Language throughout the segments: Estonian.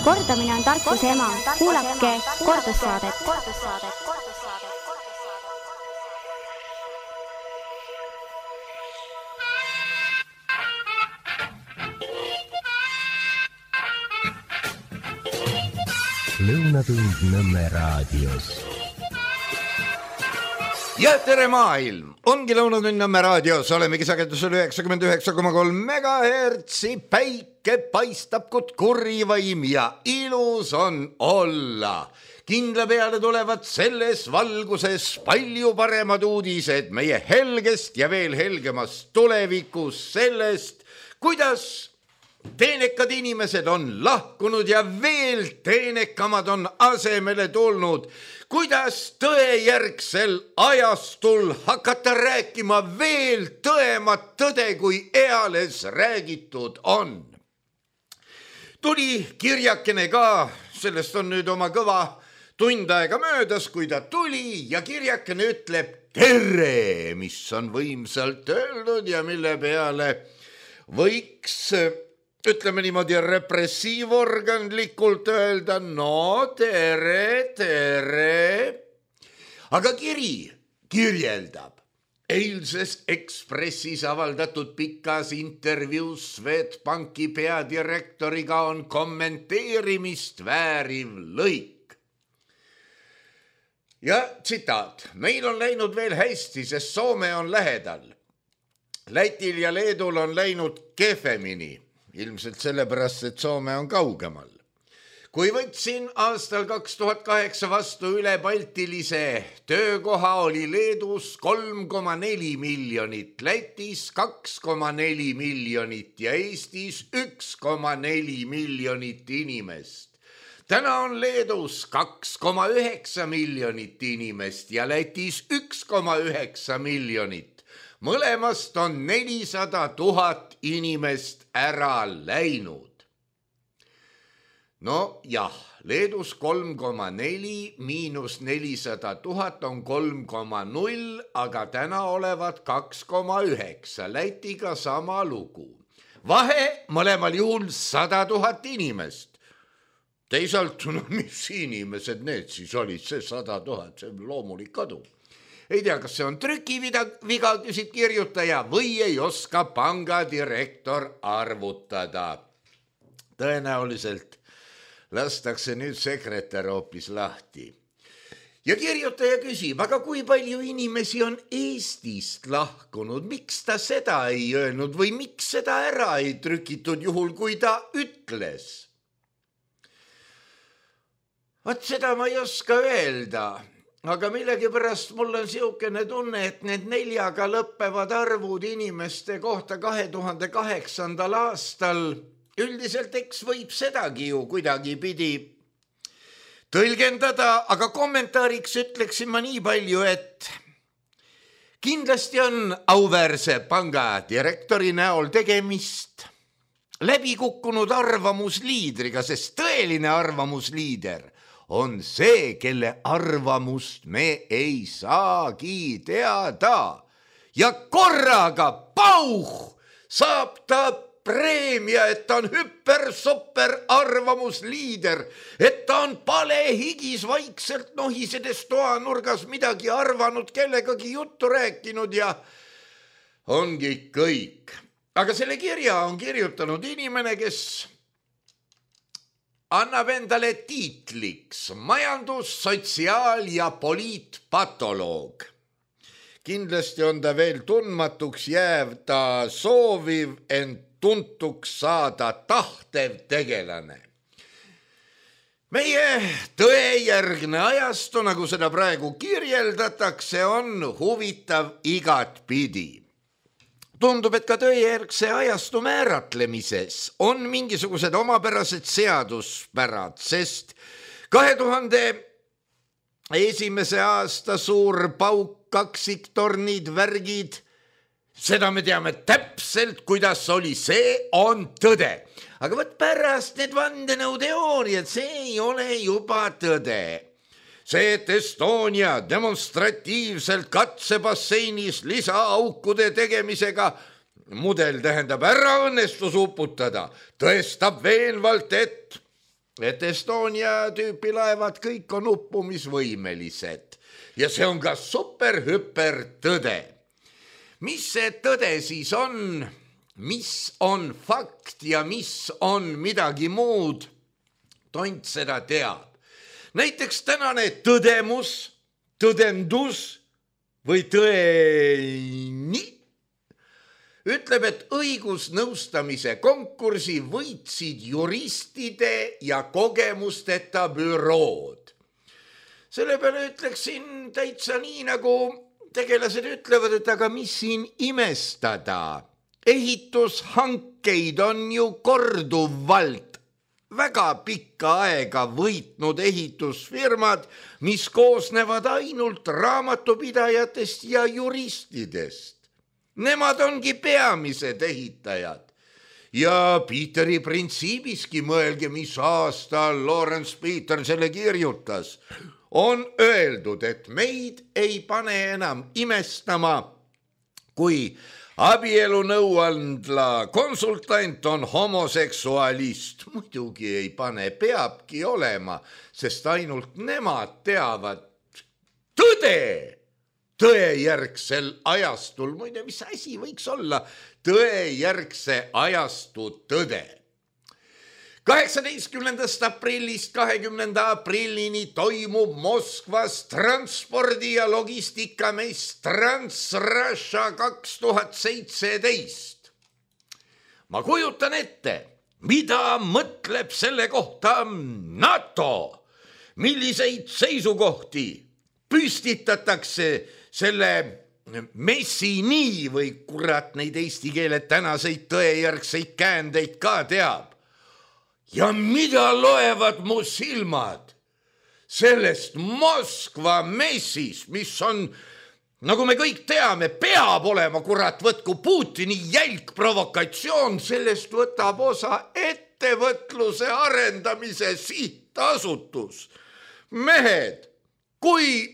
Kordamine on tarkuse ema. Kuulake kordussaadet. Lõunatund Nõmme raadios. Ja tere maailm! Ongi Lõunatund Nõmme raadios, olemegi sagedusel 99,3 MHz. Päike paistab kut kurivaim ja ilus on olla. Kindla peale tulevad selles valguses palju paremad uudised meie helgest ja veel helgemast tulevikus sellest, kuidas teenekad inimesed on lahkunud ja veel teenekamad on asemele tulnud. Kuidas tõejärgsel ajastul hakata rääkima veel tõemat tõde, kui eales räägitud on. Tuli kirjakene ka, sellest on nüüd oma kõva tund aega möödas, kui ta tuli ja kirjakene ütleb tere, mis on võimsalt öeldud ja mille peale võiks, ütleme niimoodi, repressiivorganlikult öelda, no tere, tere. Aga kiri kirjeldab eilses Ekspressis avaldatud pikas intervjuus Swedbanki peadirektoriga on kommenteerimist vääriv lõik. Ja tsitaat, meil on läinud veel hästi, sest Soome on lähedal. Lätil ja Leedul on läinud kehvemini. Ilmselt sellepärast, et Soome on kaugemal. Kui võtsin aastal 2008 vastu ülebaltilise töökoha, oli Leedus 3,4 miljonit, Lätis 2,4 miljonit ja Eestis 1,4 miljonit inimest. Täna on Leedus 2,9 miljonit inimest ja Lätis 1,9 miljonit. Mõlemast on 400 000 inimest ära läinud. No jah, Leedus 3,4 miinus 400 000 on 3,0, aga täna olevat 2,9. Lätiga sama lugu. Vahe mõlemal juhul 100 000 inimest. Teisalt, no mis inimesed need siis olid, see 100 000, see loomulik kadu. Ei tea, kas see on trükiviga, küsid kirjutaja, või ei oska pangadirektor arvutada. Tõenäoliselt lastakse nüüd sekretär hoopis lahti. Ja kirjutaja küsib, aga kui palju inimesi on Eestist lahkunud, miks ta seda ei öelnud või miks seda ära ei trükitud juhul, kui ta ütles? Vaat seda ma ei oska öelda. Aga millegipärast mul on siukene tunne, et need 4-ga lõppevad arvud inimeste kohta 2008. aastal üldiselt eks võib sedagi ju kuidagi pidi tõlgendada, aga kommentaariks ütleksin ma nii palju, et kindlasti on auväärse panga direktori näol tegemist läbikukkunud arvamusliidriga, sest tõeline arvamusliider on see, kelle arvamust me ei saagi teada. Ja korraga pauh saab ta preemia, et ta on hüper-super arvamusliider, et ta on palehigis vaikselt nohisedes toanurgas midagi arvanud, kellegagi juttu rääkinud ja ongi kõik. Aga selle kirja on kirjutanud inimene, kes annab endale tiitliks majandus-, sotsiaal- ja poliitpatoloog. Kindlasti on ta veel tundmatuks jääv, ta sooviv end tuntuks saada tahtev tegelane. Meie tõejärgne ajastu, nagu seda praegu kirjeldatakse, on huvitav igat pidi. Tundub, et ka tõejärgse ajastu määratlemises on mingisugused omapärased seaduspärad, sest 2001. aasta suur pauk, kaksiktornid, värgid, seda me teame täpselt, kuidas oli, see on tõde. Aga võt pärast need vandenõuteooriad, see ei ole juba tõde. See, et Estonia demonstratiivselt katsebasseinis lisaaukude tegemisega mudel tähendab ära õnnestus uputada, tõestab veenvalt, et et Estonia tüüpi laevad kõik on uppumisvõimelised ja see on ka super-hüper tõde. Mis see tõde siis on? Mis on fakt ja mis on midagi muud? Tont seda teab. Näiteks tänane tõdemus, tõdendus või tõeni ütleb, et õigusnõustamise konkursi võitsid juristide ja kogemusteta bürood. Selle peale ütleksin täitsa nii, nagu tegelased ütlevad, et aga mis siin imestada? Ehitushankeid on ju korduvalt väga pikka aega võitnud ehitusfirmad, mis koosnevad ainult raamatupidajatest ja juristidest. Nemad ongi peamised ehitajad. Ja Peteri printsiibiski mõelge, mis aastal Lawrence Peter selle kirjutas. On öeldud, et meid ei pane enam imestama, kui abielu nõuandla konsultant on homoseksualist. Muidugi ei pane, peabki olema, sest ainult nemad teavad tõde. Tõejärgsel ajastul, muide, mis asi võiks olla tõejärgse ajastu tõde. 18. aprillist 20. aprillini toimub Moskvas transpordi- ja logistikamenis Transrussia 2017. Ma kujutan ette, mida mõtleb selle kohta NATO, milliseid seisukohti püstitatakse selle messini või kurat neid eesti keele tänaseid tõejärgseid käändeid ka teab. Ja mida loevad mu silmad sellest Moskva messist, mis on, nagu me kõik teame, peab olema kurat võtku Putini jälg provokatsioon, sellest võtab osa ettevõtluse arendamise sihtasutus. Mehed, kui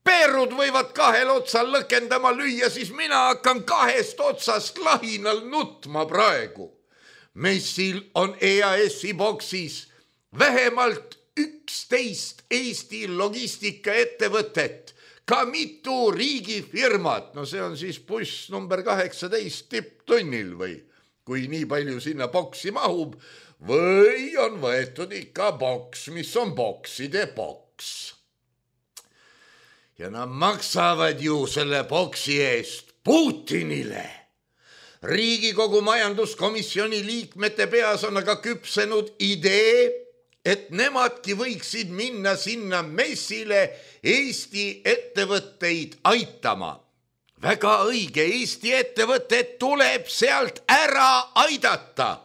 peerud võivad kahel otsal lõkendama lüüa, siis mina hakkan kahest otsast lahinal nutma praegu. Messil on EAS-i boksis vähemalt 11 Eesti logistikaettevõtet, ka mitu riigifirmat, no see on siis buss number 18 tipptunnil või kui nii palju sinna boksi mahub, või on võetud ikka boks, mis on bokside boks. Ja nad maksavad ju selle boksi eest Putinile. Riigikogu majanduskomisjoni liikmete peas on aga küpsenud idee, et nemadki võiksid minna sinna messile Eesti ettevõtteid aitama. Väga õige, Eesti ettevõtted tuleb sealt ära aidata.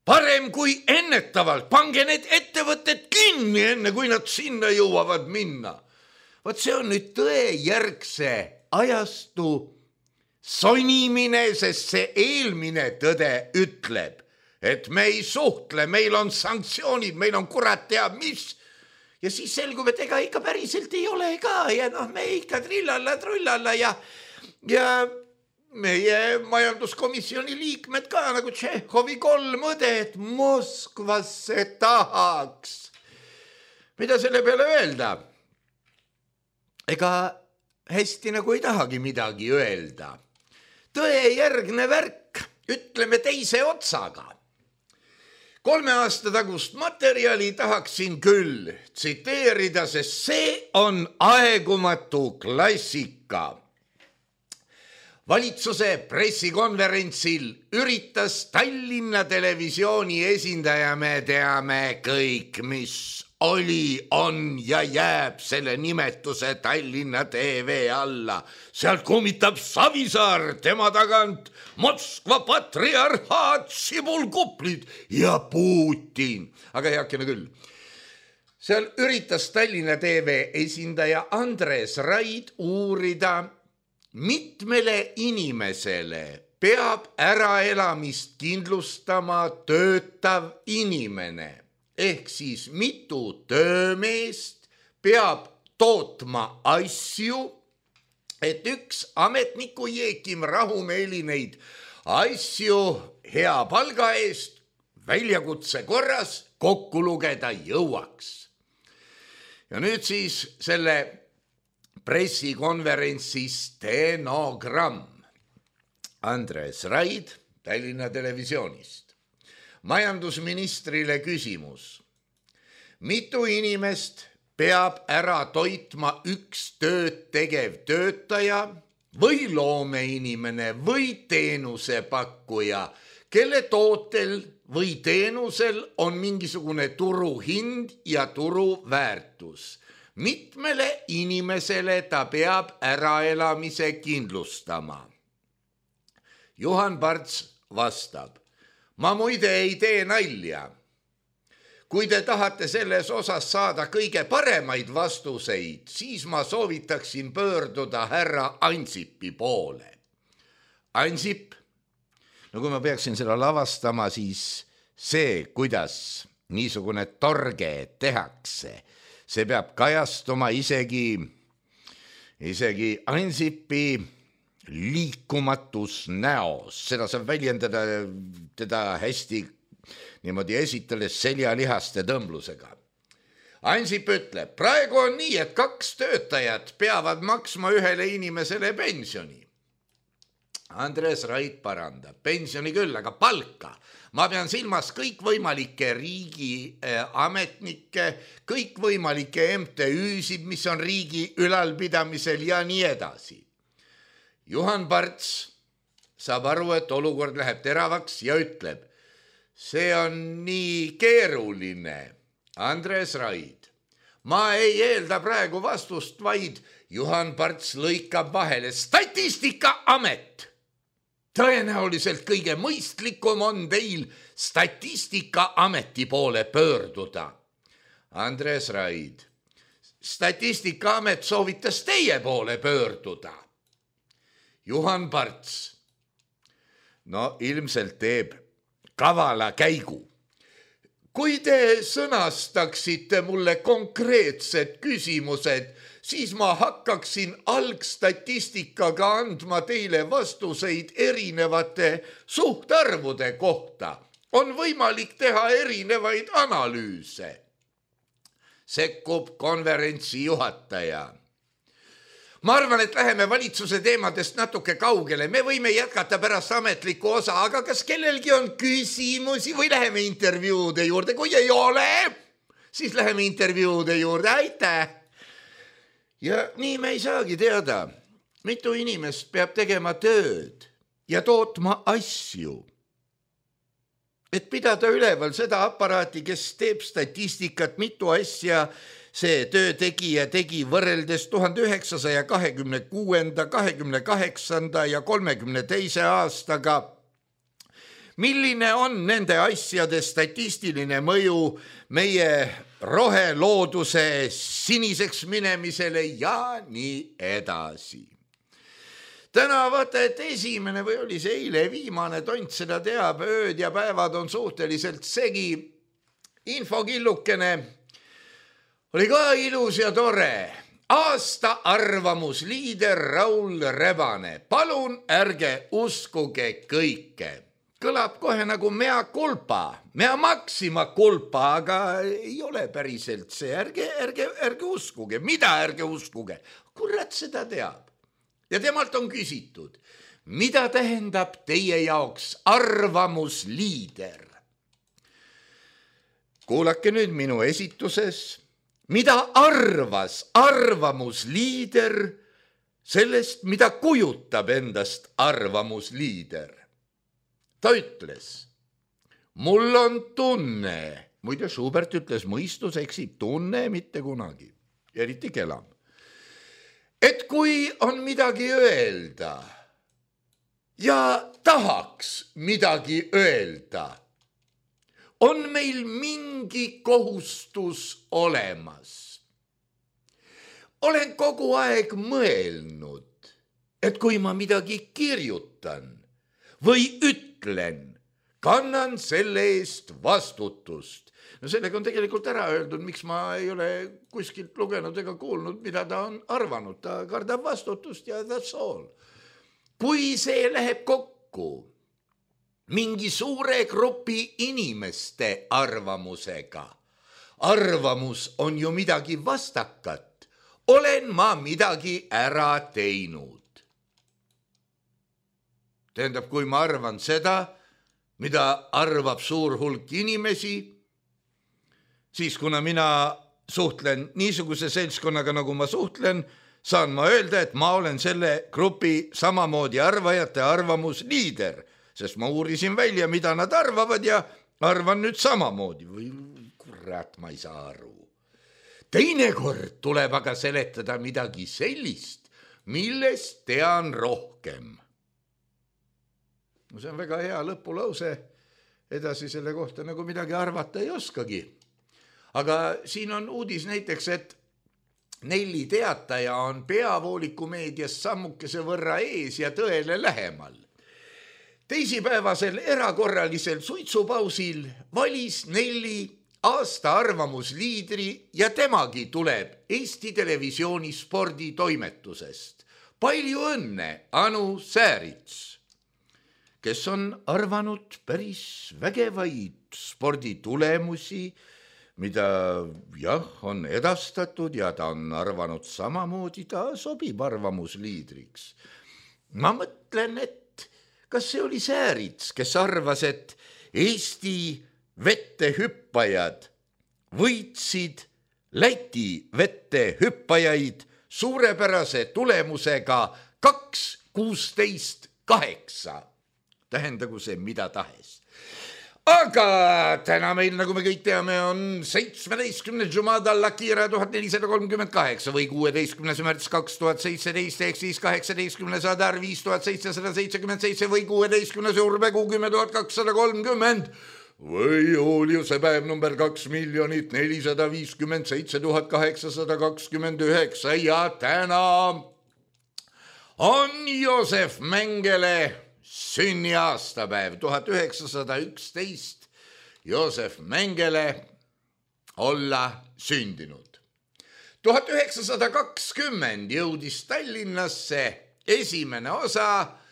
Parem kui ennetavalt, pange need ettevõtted kinni, enne kui nad sinna jõuavad minna. Vot see on nüüd tõejärgse ajastu sonimine, sest see eelmine tõde ütleb, et me ei suhtle, meil on sanktsioonid, meil on kurat teab mis. Ja siis selgub, et ega ikka päriselt ei ole ka ja me ikka trillalla ja meie majanduskomisjoni liikmed ka nagu Tšehhovi 3 õde, et Moskvasse tahaks. Mida selle peale öelda? Ega hästi nagu ei tahagi midagi öelda. Tõejärgne värk, ütleme teise otsaga. 3 aasta tagust materjali tahaksin küll tsiteerida, sest see on aegumatu klassika. Valitsuse pressikonverentsil üritas Tallinna Televisiooni esindaja, me teame kõik, mis oli, on ja jääb selle nimetuse Tallinna TV alla. Sealt kummitab Savisaar, tema tagant Moskva patriarhaat, sibulkuplid ja Putin. Aga heakene küll. Seal üritas Tallinna TV esindaja Andres Raid uurida, mitmele inimesele peab äraelamist kindlustama töötav inimene. Ehk siis mitu töömeest peab tootma asju, et üks ametniku Jeekim rahumeeli neid asju hea palga eest väljakutse korras kokku lugeda jõuaks. Ja nüüd siis selle pressikonverentsi stenogramm. Andres Raid Tallinna Televisioonist. Majandusministrile küsimus. Mitu inimest peab ära toitma üks tööd tegev töötaja või loomeinimene või teenusepakkuja, kelle tootel või teenusel on mingisugune turuhind ja turuväärtus. Mitmele inimesele ta peab äraelamise kindlustama? Juhan Parts vastab. Ma muide ei tee nalja. Kui te tahate selles osas saada kõige paremaid vastuseid, siis ma soovitaksin pöörduda härra Ansipi poole. Ansip, no kui ma peaksin seda lavastama, siis see, kuidas niisugune torge tehakse, see peab kajastuma isegi Ansipi liikumatus näos. Seda saab väljendada teda hästi niimoodi esitles seljalihaste tõmblusega. Ansip ütleb, praegu on nii, et 2 töötajat peavad maksma ühele inimesele pensioni. Andres Raid parandab, pensioni küll, aga palka. Ma pean silmas kõikvõimalikke riigiametnikke, kõikvõimalikke MTÜ-sid, mis on riigi ülalpidamisel ja nii edasi. Juhan Parts saab aru, et olukord läheb teravaks ja ütleb, see on nii keeruline. Andres Raid. Ma ei eelda praegu vastust, vaid Juhan Parts lõikab vahele. Statistikaamet. Tõenäoliselt kõige mõistlikum on teil Statistikaameti poole pöörduda. Andres Raid. Statistikaamet soovitas teie poole pöörduda. Juhan Parts. No ilmselt teeb kavala käigu. Kui te sõnastaksite mulle konkreetsed küsimused, siis ma hakkaksin algstatistikaga andma teile vastuseid erinevate suhtarvude kohta. On võimalik teha erinevaid analüüse. Sekkub konverentsi juhataja. Ma arvan, et läheme valitsuse teemadest natuke kaugele. Me võime jätkata pärast ametlikku osa, aga kas kellelgi on küsimusi või läheme intervjuude juurde? Kui ei ole, siis läheme intervjuude juurde. Aitäh! Ja nii me ei saagi teada, mitu inimest peab tegema tööd ja tootma asju. Et pidada üleval seda aparaati, kes teeb statistikat, mitu asja see töötegija tegi võrreldes 1926., 28. ja 32. aastaga. Milline on nende asjade statistiline mõju meie rohelooduse siniseks minemisele ja nii edasi? Täna vaata, et esimene või oli see eile viimane tont seda teab, ööd ja päevad on suhteliselt segi. Infokillukene oli ka ilus ja tore. Aasta arvamusliider Raul Rebane. Palun ärge uskuge kõike. Kõlab kohe nagu mea culpa, mea maxima culpa, aga ei ole päriselt see. Ärge uskuge. Mida ärge uskuge? Kurat seda teab. Ja temalt on küsitud, mida tähendab teie jaoks arvamusliider? Kuulake nüüd minu esituses. Mida arvas arvamusliider sellest, mida kujutab endast arvamusliider? Ta ütles, mul on tunne, muide Schubert ütles, mõistus eksib, tunne mitte kunagi, eriti kelam. Et kui on midagi öelda ja tahaks midagi öelda, on meil mingi kohustus olemas. Olen kogu aeg mõelnud, et kui ma midagi kirjutan või ütlen, kannan selle eest vastutust. No sellega on tegelikult ära öeldud, miks ma ei ole kuskilt lugenud ega kuulnud, mida ta on arvanud. Ta kardab vastutust ja that's all. Kui see läheb kokku mingi suure grupi inimeste arvamusega. Arvamus on ju midagi vastakat. Olen ma midagi ära teinud. Tähendab, kui ma arvan seda, mida arvab suur hulk inimesi, siis kuna mina suhtlen niisuguse seltskonnaga, nagu ma suhtlen, saan ma öelda, et ma olen selle grupi samamoodi arvajate arvamusliider, sest ma uurisin välja, mida nad arvavad ja arvan nüüd samamoodi. Või kurat, ma ei saa aru. Teinekord tuleb aga seletada midagi sellist, millest tean rohkem. No see on väga hea lõpulause, edasi selle kohta nagu midagi arvata ei oskagi. Aga siin on uudis näiteks, et Nelli Teataja on peavooliku meedias sammukese võrra ees ja tõele lähemal. Teisipäevasel erakorralisel suitsupausil valis Nelli aasta arvamusliidri ja temagi tuleb Eesti Televisiooni sporditoimetusest. Palju õnne, Anu Säärits, kes on arvanud päris vägevaid sporditulemusi, mida jah, on edastatud ja ta on arvanud samamoodi, ta sobib arvamusliidriks. Ma mõtlen, et kas see oli Säärits, kes arvas, et Eesti vettehüppajad võitsid Läti vettehüppajaid suurepärase tulemusega 2-16-8. Tähendagu see mida tahes. Aga täna meil, nagu me kõik teame, on 17. Jumada Lakira 1438 või 16. märts 2017 ehk siis 18. Adar 5777 või 16. Urmekuu 10 230 või Juliuse päev number 2 457 829 ja täna on Joosef Mengele sünniaastapäev 1911 Joosef Mengele olla sündinud. 1920 jõudis Tallinnasse esimene osa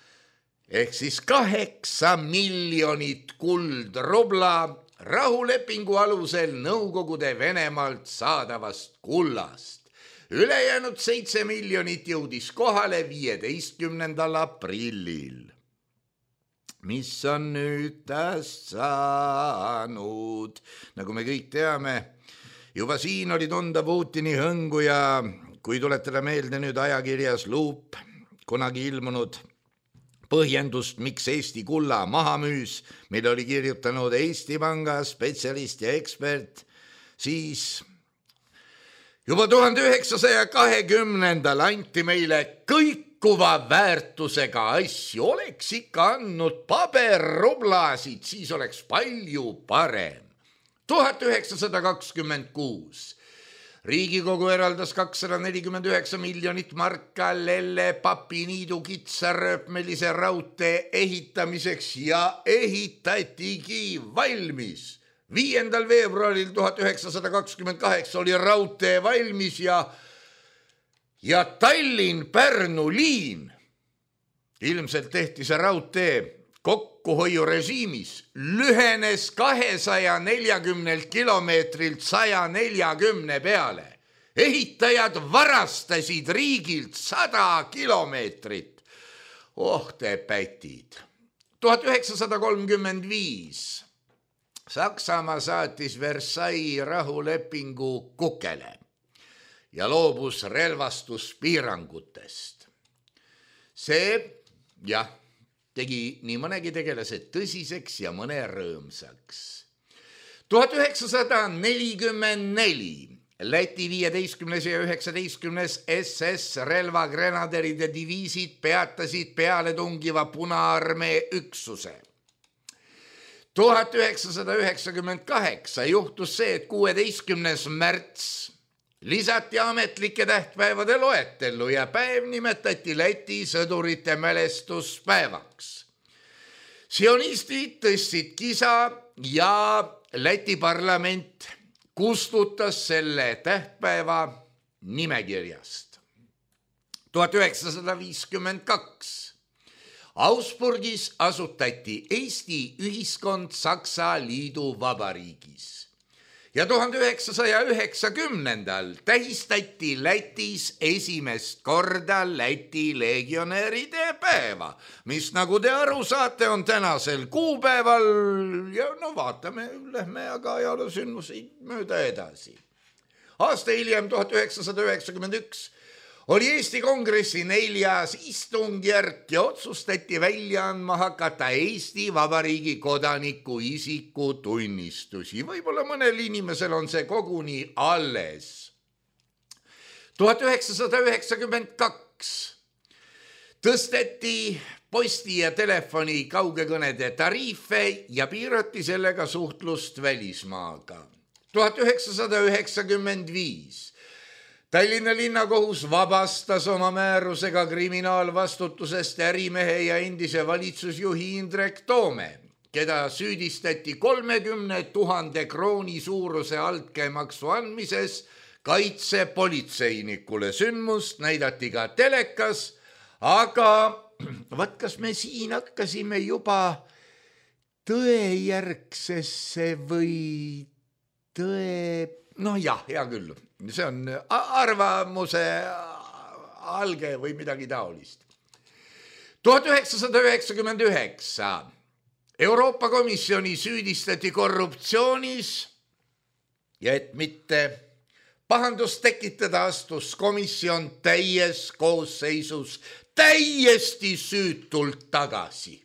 ehk siis 8 miljonit kuldrubla rahulepingu alusel Nõukogude Venemaalt saadavast kullast. Ülejäänud 7 miljonit jõudis kohale 15. aprillil. Mis on nüüd tast saanud? Nagu me kõik teame, juba siin oli tunda Putini hõngu ja kui tuletada meelde nüüd ajakirjas Luup kunagi ilmunud põhjendust, miks Eesti kulla maha müüs, mille oli kirjutanud Eesti Panga spetsialist ja ekspert, siis juba 1920. anti meile kõikuva väärtusega asju. Oleks ikka andnud paberrublasid, siis oleks palju parem. 1926. Riigikogu eraldas 249 miljonit marka Lelle Papiniidu kitsarööpmelise raudtee ehitamiseks ja ehitatigi valmis. 5. veebruaril 1928 oli raudtee valmis ja Tallinn-Pärnu liin. Ilmselt tehti see raudtee kokkuhoiurežiimis, lühenes 240 kilomeetrilt 140 peale. Ehitajad varastasid riigilt 100 kilomeetrit. Oh te pätid. 1935. Saksamaa saatis Versailles rahulepingu kukele ja loobus relvastuspiirangutest. See, tegi nii mõnegi tegelase tõsiseks ja mõne rõõmsaks. 1944 Läti 15. ja 19. SS relvagrenaderide diviisid peatasid pealetungiva Punaarmee üksuse. 1998 juhtus see, et 16. märts lisati ametlike tähtpäevade loetellu ja päev nimetati Läti sõdurite mälestuspäevaks. Sionistid tõstsid kisa ja Läti parlament kustutas selle tähtpäeva nimekirjast. 1952. Augsburgis asutati Eesti ühiskond Saksa Liiduvabariigis ja 1990. tähistati Lätis esimest korda Läti legionäride päeva, mis nagu te aru saate, on tänasel kuupäeval ja no vaatame, lähme aga ajaloosündmuseid mööda edasi. Aasta hiljem 1991 oli Eesti Kongressi 4. istungjärk ja otsustati välja andma hakata Eesti Vabariigi kodaniku isikutunnistusi. Võib-olla mõnel inimesel on see koguni alles. 1992 tõsteti posti ja telefoni kaugekõnede tariife ja piirati sellega suhtlust välismaaga. 1995 Tallinna linnakohus vabastas oma määrusega kriminaalvastutusest ärimehe ja endise valitsusjuhi Indrek Toome, keda süüdistati 30 000 krooni suuruse altkäemaksu andmises kaitsepolitseinikule. Sündmust näidati ka telekas, aga kas me siin hakkasime juba tõejärgsesse või hea küll. See on arvamuse alge või midagi taolist. 1999 Euroopa Komisjoni süüdistati korruptsioonis ja et mitte pahandust tekitada, astus komisjon täies koosseisus täiesti süütult tagasi.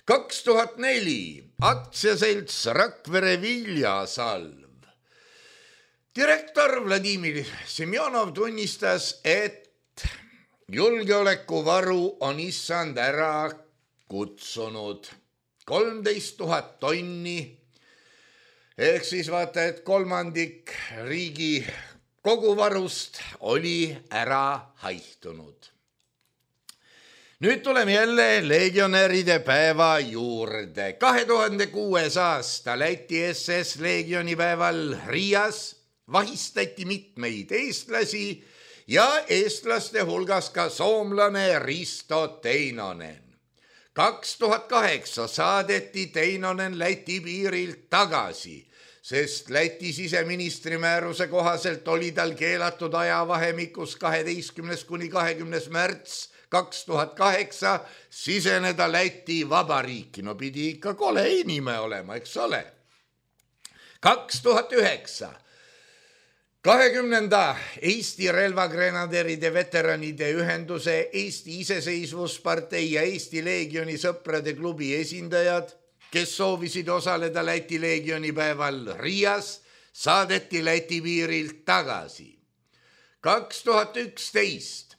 2004 aktsiaselts Rakvere Viljasalv. Direktor Vladimir Semjonov tunnistas, et julgeolekuvaru on issand ära kutsunud 13 000 tonni, ehk siis vaata, et kolmandik riigi koguvarust oli ära haihtunud. Nüüd tuleme jälle legionäride päeva juurde. 2006. aasta Läti SS legionipäeval Riias vahistati mitmeid eestlasi ja eestlaste hulgas ka soomlane Risto Teinonen. 2008 saadeti Teinonen Läti piirilt tagasi, sest Läti siseministri määruse kohaselt oli tal keelatud ajavahemikus 12. kuni 20. märts 2008 siseneda Läti Vabariiki. No pidi ikka kole inime olema, eks ole. 2009 20. Eesti relvagrenaderide veteranide ühenduse, Eesti iseseisvuspartei ja Eesti Leegioni sõprade klubi esindajad, kes soovisid osaleda Läti leegionipäeval Riias, saadeti Läti piirilt tagasi. 2011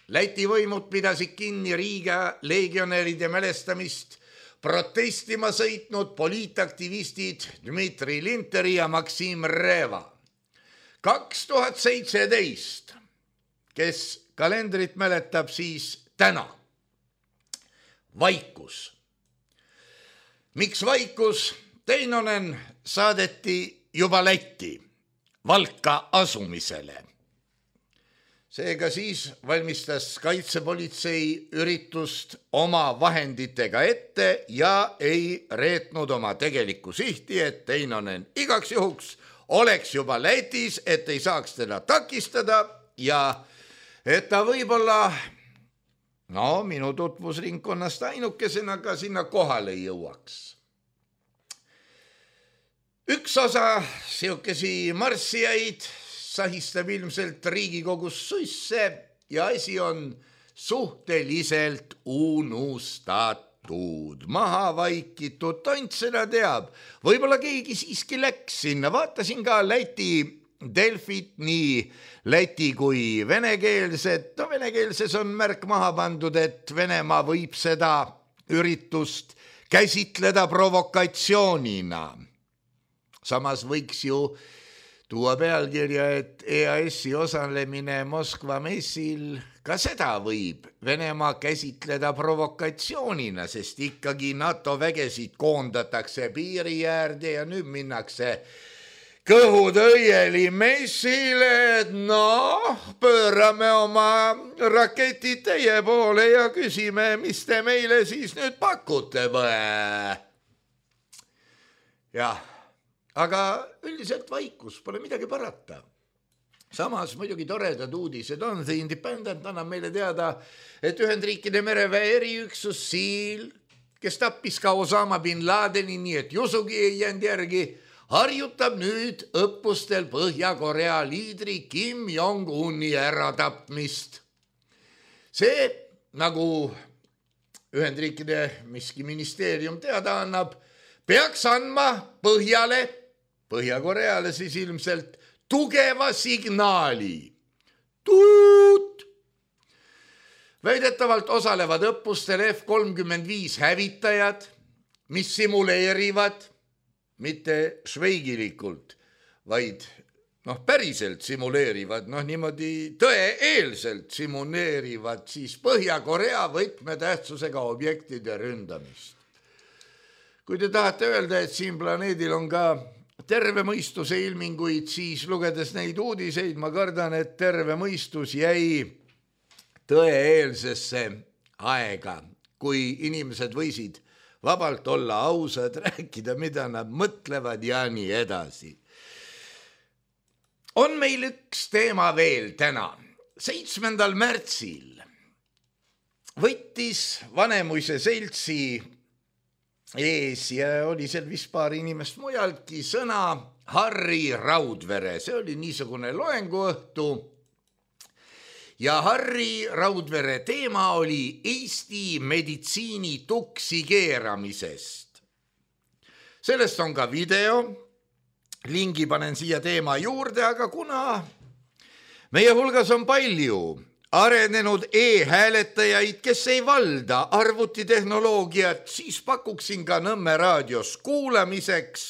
Läti võimud pidasid kinni Riiga leegionäride mälestamist protestima sõitnud poliitaktivistid Dmitri Linteri ja Maksim Reva. 2017, kes kalendrit mäletab, siis täna. Vaikus. Miks vaikus? Teinonen saadeti juba Lätti Valka asumisele. Seega siis valmistas kaitsepolitsei üritust oma vahenditega ette ja ei reetnud oma tegelikku sihti, et Teinonen igaks juhuks oleks juba Lätis, et ei saaks teda takistada ja et ta võib-olla, minu tutvusringkonnast ainukesena ka sinna kohale jõuaks. Üks osa siukesi marssijaid sahistab ilmselt Riigikogus suisse ja asi on suhteliselt unustatud. Maha vaikitud, tont seda teab. Võib-olla keegi siiski läks sinna. Vaatasin ka Läti Delfit, nii Läti kui venekeelset. Venekeelses on märk maha pandud, et Venemaa võib seda üritust käsitleda provokatsioonina. Samas võiks ju tuua pealkirja, et EAS-i osalemine Moskva messil, ka seda võib Venemaa käsitleda provokatsioonina, sest ikkagi NATO vägesid koondatakse piiri äärde ja nüüd minnakse kõhud õieli messile, et pöörame oma raketid teie poole ja küsime, mis te meile siis nüüd pakute põe. Jah, aga üldiselt vaikus, pole midagi parata. Samas muidugi toredad uudised on. The Independent annab meile teada, et Ühendriikide mereväe eriüksus SEAL, kes tappis ka Osama bin Ladeni, nii et Jusugi ei jäänud järgi, harjutab nüüd õppustel Põhja-Korea liidri Kim Jong-uni äratapmist. See, nagu Ühendriikide miski ministeerium teada annab, peaks andma Põhjale, Põhja-Koreale siis ilmselt, tugeva signaali. Tuut! Väidetavalt osalevad õppustel F-35 hävitajad, mis simuleerivad, mitte šveigilikult, vaid päriselt simuleerivad, niimoodi tõe-eelselt simuleerivad siis Põhja-Korea võtmetähtsusega objektide ründamist. Kui te tahate öelda, et siin planeedil on ka terve mõistuse ilminguid, siis lugedes neid uudiseid, ma kardan, et terve mõistus jäi tõe-eelsesse aega, kui inimesed võisid vabalt olla ausad, rääkida, mida nad mõtlevad ja nii edasi. On meil üks teema veel täna. 7. märtsil võttis Vanemuise seltsi ees ja oli seal vist paar inimest mujaltki sõna Harri Raudvere. See oli niisugune loenguõhtu ja Harri Raudvere teema oli Eesti meditsiini tuksi keeramisest. Sellest on ka video, lingi panen siia teema juurde, aga kuna meie hulgas on palju arenenud e-hääletajaid, kes ei valda arvutitehnoloogiat, siis pakuksin ka Nõmme raadios kuulamiseks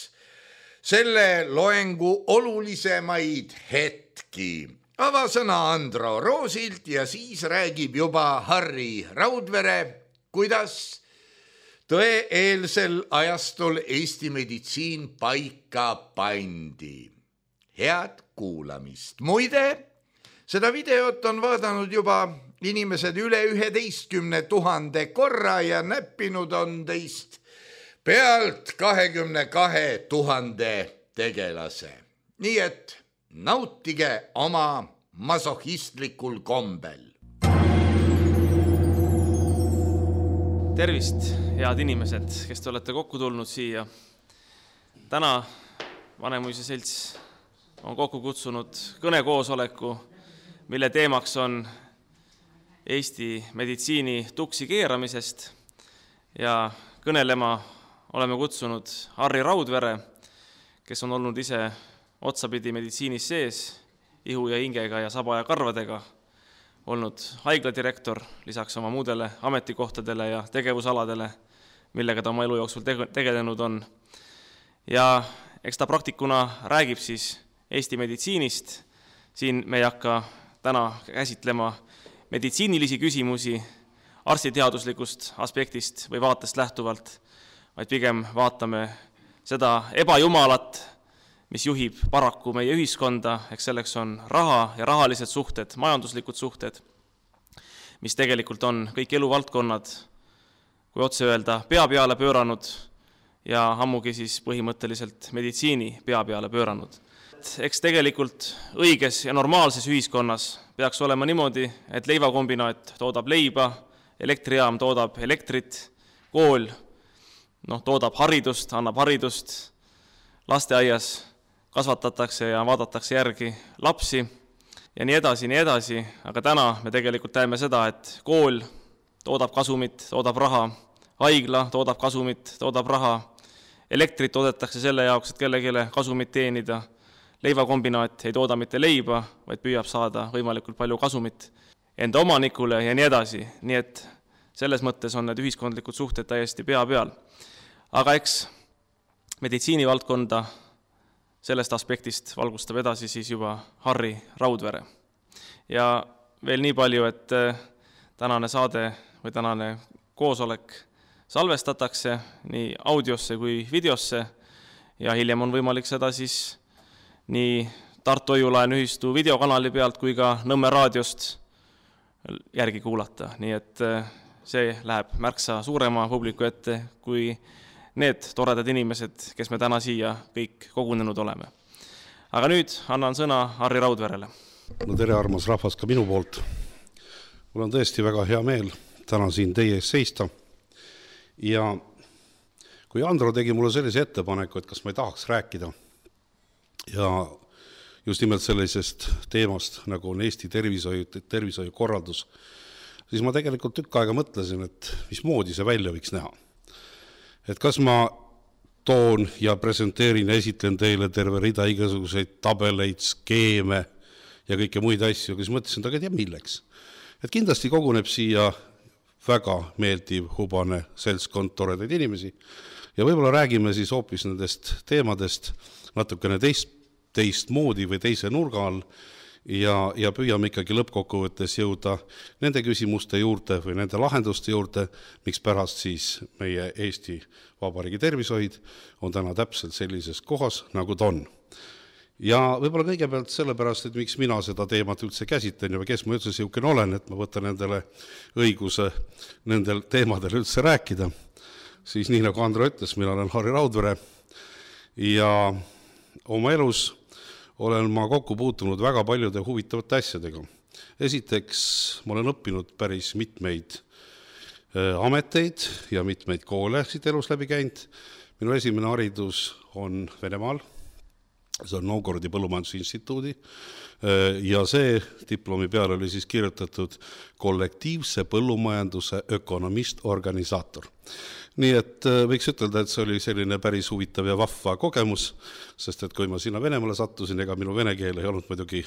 selle loengu olulisemaid hetki. Avasõna Andro Roosilt ja siis räägib juba Harri Raudvere, kuidas tõe-eelsel ajastul Eesti meditsiin paika pandi. Head kuulamist. Muide, seda videot on vaadanud juba inimesed üle 11 000 korra ja näppinud on teist pealt 22 000 tegelase. Nii et nautige oma masohistlikul kombel. Tervist, head inimesed, kes te olete kokku tulnud siia. Täna Vanemuise selts on kokku kutsunud kõnekoosoleku, mille teemaks on Eesti meditsiini tuksi keeramisest ja kõnelema oleme kutsunud Harri Raudvere, kes on olnud ise otsapidi meditsiinis sees, ihu ja hingega ja saba ja karvadega, olnud haigladirektor lisaks oma muudele ametikohtadele ja tegevusaladele, millega ta oma elu jooksul tegelenud on. Ja eks ta praktikuna räägib siis Eesti meditsiinist. Siin me ei hakka täna käsitlema meditsiinilisi küsimusi arstiteaduslikust aspektist või vaatest lähtuvalt, vaid pigem vaatame seda ebajumalat, mis juhib paraku meie ühiskonda, eks selleks on raha ja rahalised suhted, majanduslikud suhted, mis tegelikult on kõik eluvaldkonnad, kui otse öelda, pea peale pööranud ja ammugi siis põhimõtteliselt meditsiini pea peale pööranud. Eks tegelikult õiges ja normaalses ühiskonnas peaks olema niimoodi, et leivakombinaat toodab leiba, elektrijaam toodab elektrit, kool toodab haridust, annab haridust, lasteaias kasvatatakse ja vaadatakse järgi lapsi ja nii edasi, aga täna me tegelikult näeme seda, et kool toodab kasumit, toodab raha, haigla toodab kasumit, toodab raha, elektrit toodetakse selle jaoks, et kellegile kasumit teenida, leivakombinaat ei tooda mitte leiba, vaid püüab saada võimalikult palju kasumit enda omanikule ja nii edasi. Nii et selles mõttes on need ühiskondlikud suhted täiesti pea peal. Aga eks meditsiinivaldkonda sellest aspektist valgustab edasi siis juba Harri Raudvere. Ja veel nii palju, et tänane saade või tänane koosolek salvestatakse nii audiosse kui videosse ja hiljem on võimalik seda siis nii Tartu Hoiulaen ühistu videokanali pealt kui ka Nõmme raadiost järgi kuulata. Nii et see läheb märksa suurema publiku ette kui need toredad inimesed, kes me täna siia kõik kogunenud oleme. Aga nüüd annan sõna Harri Raudverele. No tere armas rahvas ka minu poolt. Mul on tõesti väga hea meel täna siin teie ees seista. Ja kui Andro tegi mulle sellise ettepaneku, et kas ma ei tahaks rääkida ja just nimelt sellisest teemast, nagu on Eesti tervishoiukorraldus, siis ma tegelikult tükk aega mõtlesin, et mismoodi see välja võiks näha. Et kas ma toon ja presenteerin, esitlen teile terve rida igasuguseid tabeleid, skeeme ja kõike muid asju, kes mõtlesin, aga tea milleks. Et kindlasti koguneb siia väga meeldiv, hubane seltskond toredaid inimesi ja võib-olla räägime siis hoopis nendest teemadest natukene teist moodi või teise nurga all ja püüame ikkagi lõppkokkuvõttes jõuda nende küsimuste juurde või nende lahenduste juurde, miks pärast siis meie Eesti Vabariigi tervishoid on täna täpselt sellises kohas, nagu ta on. Ja võib-olla kõigepealt sellepärast, et miks mina seda teemat üldse käsitlen ja kes ma üldse siukene olen, et ma võtan endale õiguse nendel teemadel üldse rääkida. Siis nii nagu Andro ütles, mina olen Harri Raudvere ja oma elus olen ma kokku puutunud väga paljude huvitavate asjadega. Esiteks, ma olen õppinud päris mitmeid ameteid ja mitmeid koole siit elus läbi käinud. Minu esimene haridus on Venemaal, see on Novgorodi põllumajandusinstituudi ja see diplomi peal oli siis kirjutatud kollektiivse põllumajanduse ökonomist-organisaator. Nii et võiks ütelda, et see oli selline päris huvitav ja vahva kogemus, sest et kui ma sinna Venemaale sattusin, ega minu vene keel ei olnud muidugi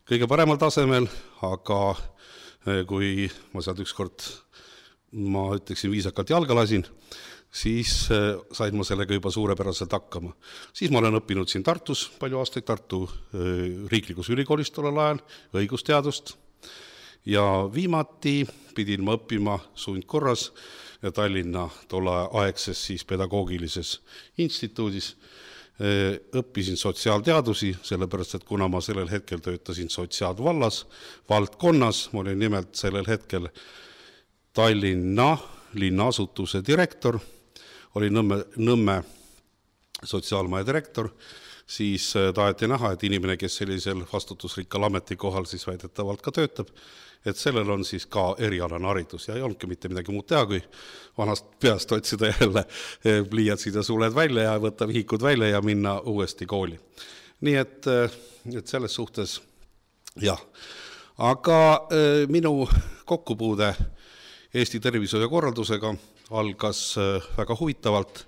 kõige paremal tasemel, aga kui ma sealt ükskord, ma ütleksin viisakalt jalga lasin, siis sain ma sellega juba suurepäraselt hakkama. Siis ma olen õppinud siin Tartus palju aastaid, Tartu riiklikus ülikoolis tollel ajal, õigusteadust. Ja viimati pidin ma õppima sundkorras Tallinna tolleaegses siis pedagoogilises instituudis. Õppisin sotsiaalteadusi, sellepärast, et kuna ma sellel hetkel töötasin sotsiaalvallas, valdkonnas, ma olin nimelt sellel hetkel Tallinna linnaasutuse direktor, oli Nõmme sotsiaalmaja direktor, siis taheti näha, et inimene, kes sellisel vastutusrikkal ametikohal siis väidetavalt ka töötab, et sellel on siis ka erialane haridus ja ei olnudki mitte midagi muud teha, kui vanast peast otsida jälle pliiatsid ja suled välja ja võtta vihikud välja ja minna uuesti kooli. Nii et selles suhtes, jah. Aga minu kokkupuude Eesti tervishoiukorraldusega algas väga huvitavalt,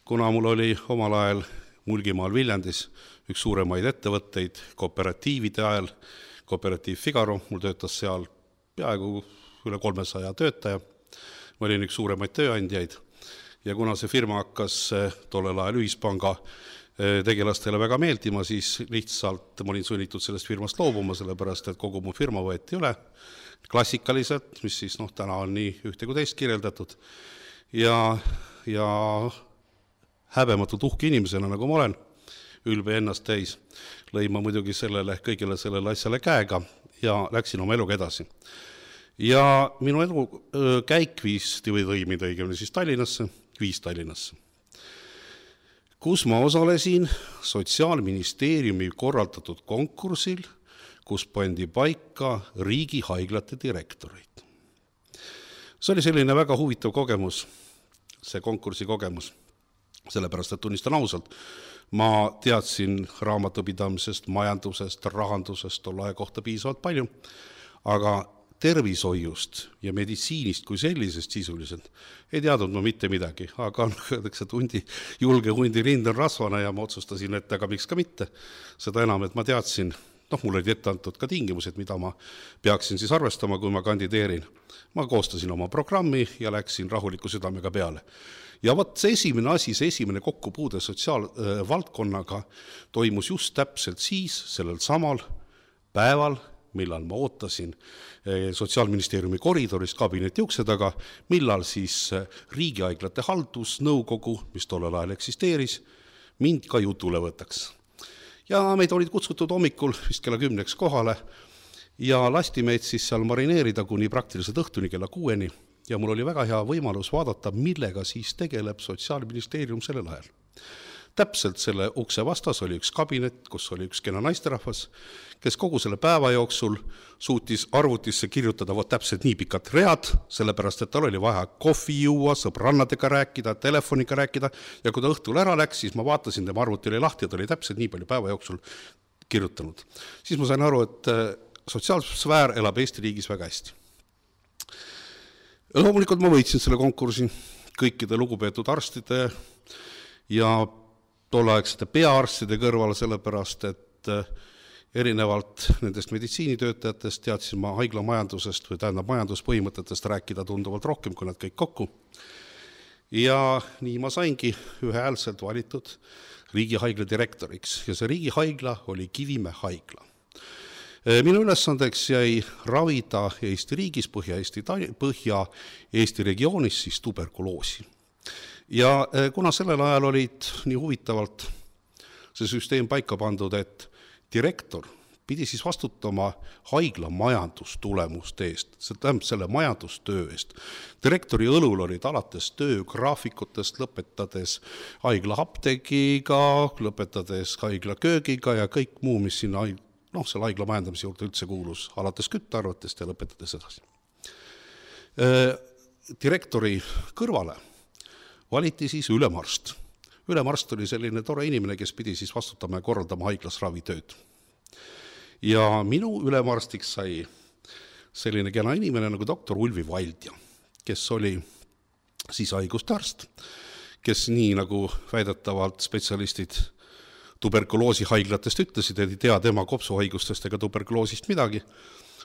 kuna mul oli omal ajal Mulgimaal Viljandis üks suuremaid ettevõtteid kooperatiivide ajal, Kooperatiiv Figaro, mul töötas seal peaaegu üle 300 töötaja, ma olin üks suuremaid tööandjaid ja kuna see firma hakkas tollel ajal ühispanga tegelastele väga meeldima, siis lihtsalt ma olin sunnitud sellest firmast loobuma, sellepärast et kogu mu firma võeti üle klassikaliselt, mis siis täna on nii ühte kui teist kirjeldatud ja häbematult uhke inimesena, nagu ma olen, ülbe ennast täis, lõin ma muidugi kõigele sellele asjale käega ja läksin oma eluga edasi. Ja minu elu käik lõi mind õigemini siis Tallinnasse, kus ma osalesin Sotsiaalministeeriumi korraldatud konkursil, kus pandi paika riigihaiglate direktorid. See oli selline väga huvitav kogemus, see konkursi kogemus, sellepärast, et tunnistan ausalt, ma teadsin raamatupidamisest, majandusest, rahandusest tolle aja kohta piisavalt palju, aga tervishoiust ja meditsiinist kui sellisest sisuliselt ei teadnud ma mitte midagi, aga julge hundi rind on rasvane ja ma otsustasin, et aga miks ka mitte. Seda enam, et ma teadsin, mul olid ette antud ka tingimused, mida ma peaksin siis arvestama, kui ma kandideerin. Ma koostasin oma programmi ja läksin rahuliku südamega peale. Ja see esimene kokkupuude sotsiaalvaldkonnaga toimus just täpselt siis, sellel samal päeval, millal ma ootasin Sotsiaalministeeriumi koridoris kabineti ukse taga, millal siis riigihaiglate haldusnõukogu, mis tollel ajal eksisteeris, mind ka jutule võtaks. ja meid olid kutsutud hommikul vist kella 10 kohale ja lasti meid siis seal marineerida kuni praktiliselt õhtuni kella 6 ja mul oli väga hea võimalus vaadata, millega siis tegeleb Sotsiaalministeerium sellel ajal. Täpselt selle ukse vastas oli üks kabinet, kus oli üks kena naisterahvas, kes kogu selle päeva jooksul suutis arvutisse kirjutada täpselt nii pikad read, sellepärast et tal oli vaja kohvi juua, sõbrannadega rääkida, telefoniga rääkida ja kui ta õhtul ära läks, siis ma vaatasin, tema arvuti oli lahti ja ta oli täpselt nii palju päeva jooksul kirjutanud. Siis ma sain aru, et sotsiaalsfäär elab Eesti riigis väga hästi. Loomulikult ma võitsin selle konkursi kõikide lugupeetud arstide ja tolleaegsete peaarstide kõrval, sellepärast et erinevalt nendest meditsiinitöötajatest teadsin ma haigla majandusest või majanduspõhimõtetest rääkida tunduvalt rohkem kui nad kõik kokku. Ja nii ma saingi ühehäälselt valitud riigihaigla direktoriks ja see riigihaigla oli Kivimäe haigla. Minu ülesandeks jäi ravida Eesti riigis, Põhja-Eesti regioonis siis tuberkuloosi. Ja kuna sellel ajal olid nii huvitavalt see süsteem paika pandud, et direktor pidi siis vastutama haigla majandustulemuste eest, see tähendab selle majandustöö eest. Direktori õlul olid alates töögraafikutest, lõpetades haigla apteegiga, lõpetades haigla köögiga ja kõik muu, mis sinna selle haigla majandamise juurde üldse kuulus, alates küttearvetest ja lõpetades edasi. Direktori kõrvale valiti siis ülemarst. Ülemarst oli selline tore inimene, kes pidi siis vastutama ja korraldama haiglas ravitööd. Ja minu ülemarstiks sai selline kena inimene nagu doktor Ulvi Valdja, kes oli siis haiguste arst, kes nii nagu väidetavalt spetsialistid tuberkuloosihaiglatest ütlesid, et ei tea tema kopsuhaigustest ega tuberkuloosist midagi,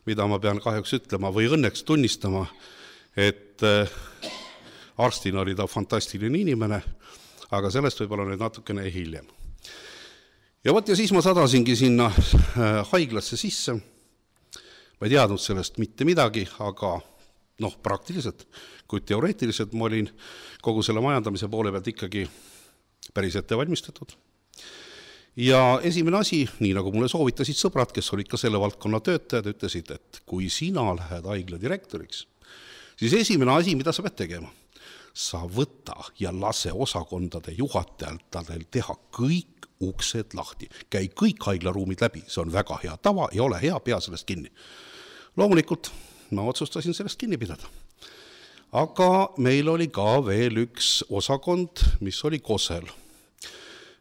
mida ma pean kahjuks ütlema või õnneks tunnistama, et arstina oli ta fantastiline inimene, aga sellest võib-olla nüüd natukene hiljem. Ja siis ma sadasingi sinna haiglasse sisse. Ma ei teadnud sellest mitte midagi, aga praktiliselt, kui teoreetiliselt ma olin kogu selle majandamise poole pealt ikkagi päris ette valmistatud. Ja esimene asi, nii nagu mulle soovitasid sõbrad, kes olid ka selle valdkonna töötajad, ütlesid, et kui sina lähed haigla direktoriks, siis esimene asi, mida sa pead tegema, sa võta ja lase osakondade juhatajal teha kõik uksed lahti. Käi kõik haiglaruumid läbi, see on väga hea tava ja ole hea, pea sellest kinni. Loomulikult ma otsustasin sellest kinni pidada. Aga meil oli ka veel üks osakond, mis oli Kosel.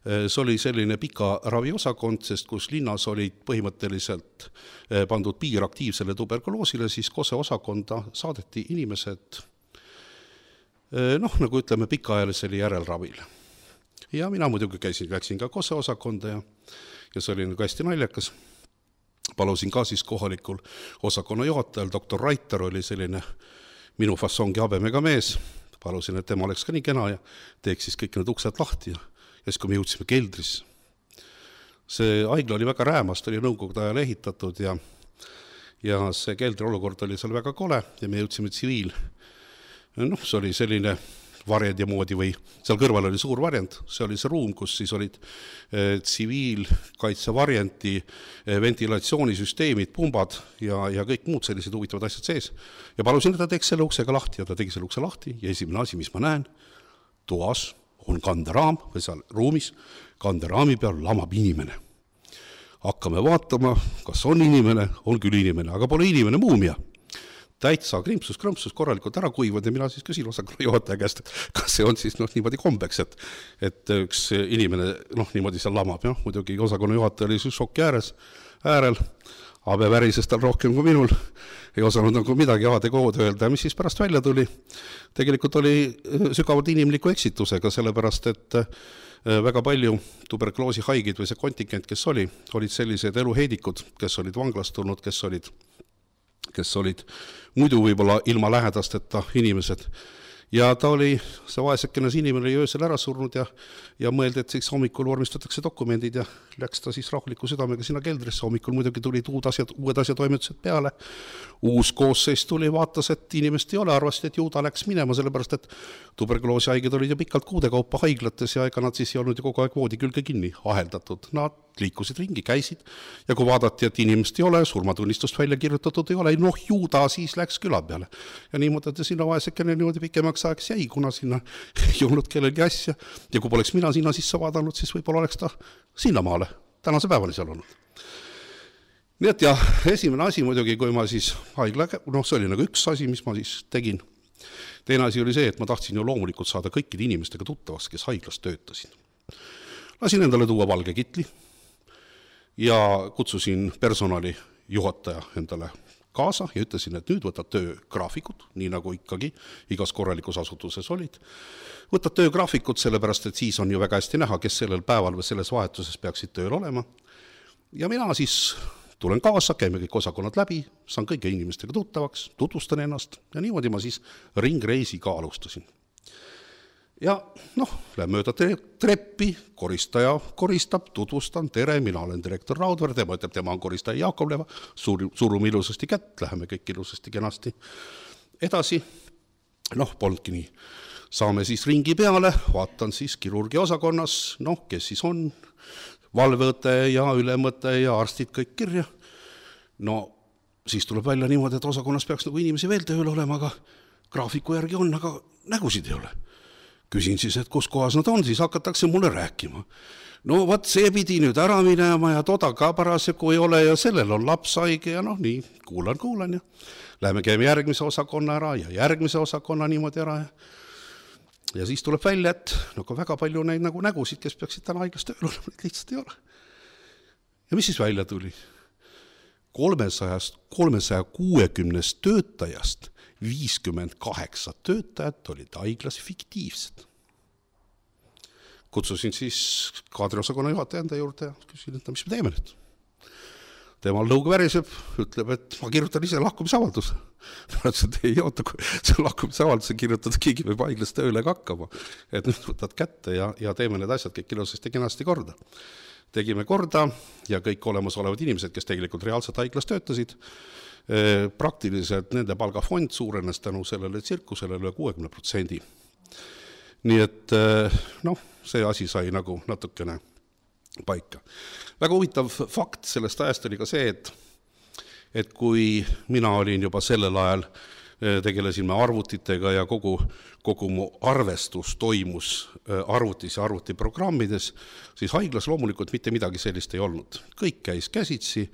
See oli selline pika raviosakond, sest kus linnas olid põhimõtteliselt pandud piir aktiivsele tuberkuloosile, siis Kose osakonda saadeti inimesed nagu ütleme pikaajalisele järelravile. Ja mina muidugi läksin ka Kose osakonda ja see oli nagu hästi naljakas. Palusin ka siis kohalikul osakonna juhatajal, doktor Raitar oli selline minu fassongi habemega mees. Palusin, et tema oleks ka nii kena ja teeks siis kõik need uksed lahti ja siis kui me jõudsime keldrisse. See haigla oli väga räämast, oli nõukogude ajal ehitatud ja see keldri olukord oli seal väga kole ja me jõudsime tsiviil. See oli selline varjendi moodi või seal kõrval oli suur varjend, see oli see ruum, kus siis olid tsiviilkaitsevarjendi ventilatsioonisüsteemid, pumbad ja kõik muud sellised huvitavad asjad sees. Ja palusin, et ta teeks selle uksega lahti ja ta tegi selle ukse lahti ja esimene asi, mis ma näen, toas on kanderaam või seal ruumis, kanderaami peal lamab inimene. Hakkame vaatama, kas on inimene, on küll inimene, aga pole inimene muumia. Täitsa krimpsus korralikult ära kuivad ja mina siis küsin osakonna juhataja käest, et kas see on siis niimoodi kombeks, et üks inimene niimoodi seal lamab. Muidugi osakonna juhataja oli siis šoki äärel, Abe värises tal rohkem kui minul, ei osanud nagu midagi ADK-d öelda, mis siis pärast välja tuli. Tegelikult oli sügavalt inimliku eksitusega, sellepärast, et väga palju tuberkuloosi haigid või see kontingent, kes olid sellised eluheidikud, kes olid vanglast tulnud, kes olid muidu võib-olla ilma lähedasteta inimesed. Ja ta oli, see vaesekene inimene oli öösel ära surnud ja mõeldi, et siis hommikul vormistatakse dokumendid ja läks ta siis rahuliku südamega sinna keldrisse. Hommikul muidugi tulid uued asjad toimetused peale. Uus koosseis tuli, vaatas, et inimest ei ole, arvasid, et juuda läks minema, sellepärast, et tuberkuloosi haiged olid ju pikalt kuude kaupa haiglates ja ega nad siis ei olnud ju kogu aeg voodi külge kinni aheldatud. Nad liikusid ringi, käisid ja kui vaadati, et inimest ei ole, surmatunnistust välja kirjutatud ei ole, noh ju ta siis läks küla peale. Ja niimoodi, et sinna vaesekene niimoodi pikemaks ajaks jäi, kuna sinna ei olnud kellelgi asja ja kui poleks mina sinna sisse vaadanud, siis võib-olla oleks ta sinna maale tänase päevani seal olnud. Nii et jah, esimene asi muidugi, kui ma siis haigla, see oli nagu üks asi, mis ma siis tegin. Teine asi oli see, et ma tahtsin ju loomulikult saada kõikide inimestega tuttavaks, kes haiglas töötasid. Lasin endale tuua valge kitli ja kutsusin personali juhataja endale kaasa ja ütlesin, et nüüd võtad töögraafikud, nii nagu ikkagi igas korralikus asutuses olid. Võtad töögraafikud sellepärast, et siis on ju väga hästi näha, kes sellel päeval või selles vahetuses peaksid tööl olema. Ja mina siis tulen kaasa, käime kõik osakonnad läbi, saan kõige inimestega tuttavaks, tutvustan ennast ja niimoodi ma siis ringreisi ka alustasin. Ja lähen mööda treppi, koristaja koristab, tutvustan, tere, mina olen direktor Raudver, tema ütleb, tema on koristaja Jaakobleva, surume ilusasti kätt, läheme kõik ilusasti kenasti edasi. Polnudki nii. Saame siis ringi peale, vaatan siis kirurgi osakonnas, kes siis on, valveõte ja ülemõte ja arstid kõik kirja. Siis tuleb välja niimoodi, et osakonnas peaks nagu inimesi veel tööl olema, aga graafiku järgi on, aga nägusid ei ole. Küsin siis, et kus kohas nad on, siis hakatakse mulle rääkima. Vaat see pidi nüüd ära minema ja toda ka parasjagu ei ole ja sellel on laps haige ja nii, kuulan ja läheme käime järgmise osakonna ära ja järgmise osakonna niimoodi ära ja siis tuleb välja, et väga palju neid nagu nägusid, kes peaksid täna haiglas tööl olema, neid lihtsalt ei ole. Ja mis siis välja tuli? 360 töötajast 58 töötajat olid haiglas fiktiivsed. Kutsusin siis kaadriosakonna juhataja enda juurde ja küsin, et mis me teeme nüüd? Temal lõug väriseb, ütleb, et ma kirjutan ise lahkumisavalduse. Ta ütles, et ei oota, kui see lahkumisavalduse kirjutada, keegi võib haiglas tööle hakkama. Et nüüd võtad kätte ja teeme need asjad kõik ilusasti kenasti korda. Tegime korda ja kõik olemasolevad inimesed, kes tegelikult reaalselt haiglas töötasid, praktiliselt nende palgafond suurenes tänu sellele tsirkusele üle 60%. Nii et see asi sai nagu natukene paika. Väga huvitav fakt sellest ajast oli ka see, et kui mina olin juba sellel ajal, tegelesime arvutitega ja kogu mu arvestus toimus arvutis ja arvutiprogrammides, siis haiglas loomulikult mitte midagi sellist ei olnud. Kõik käis käsitsi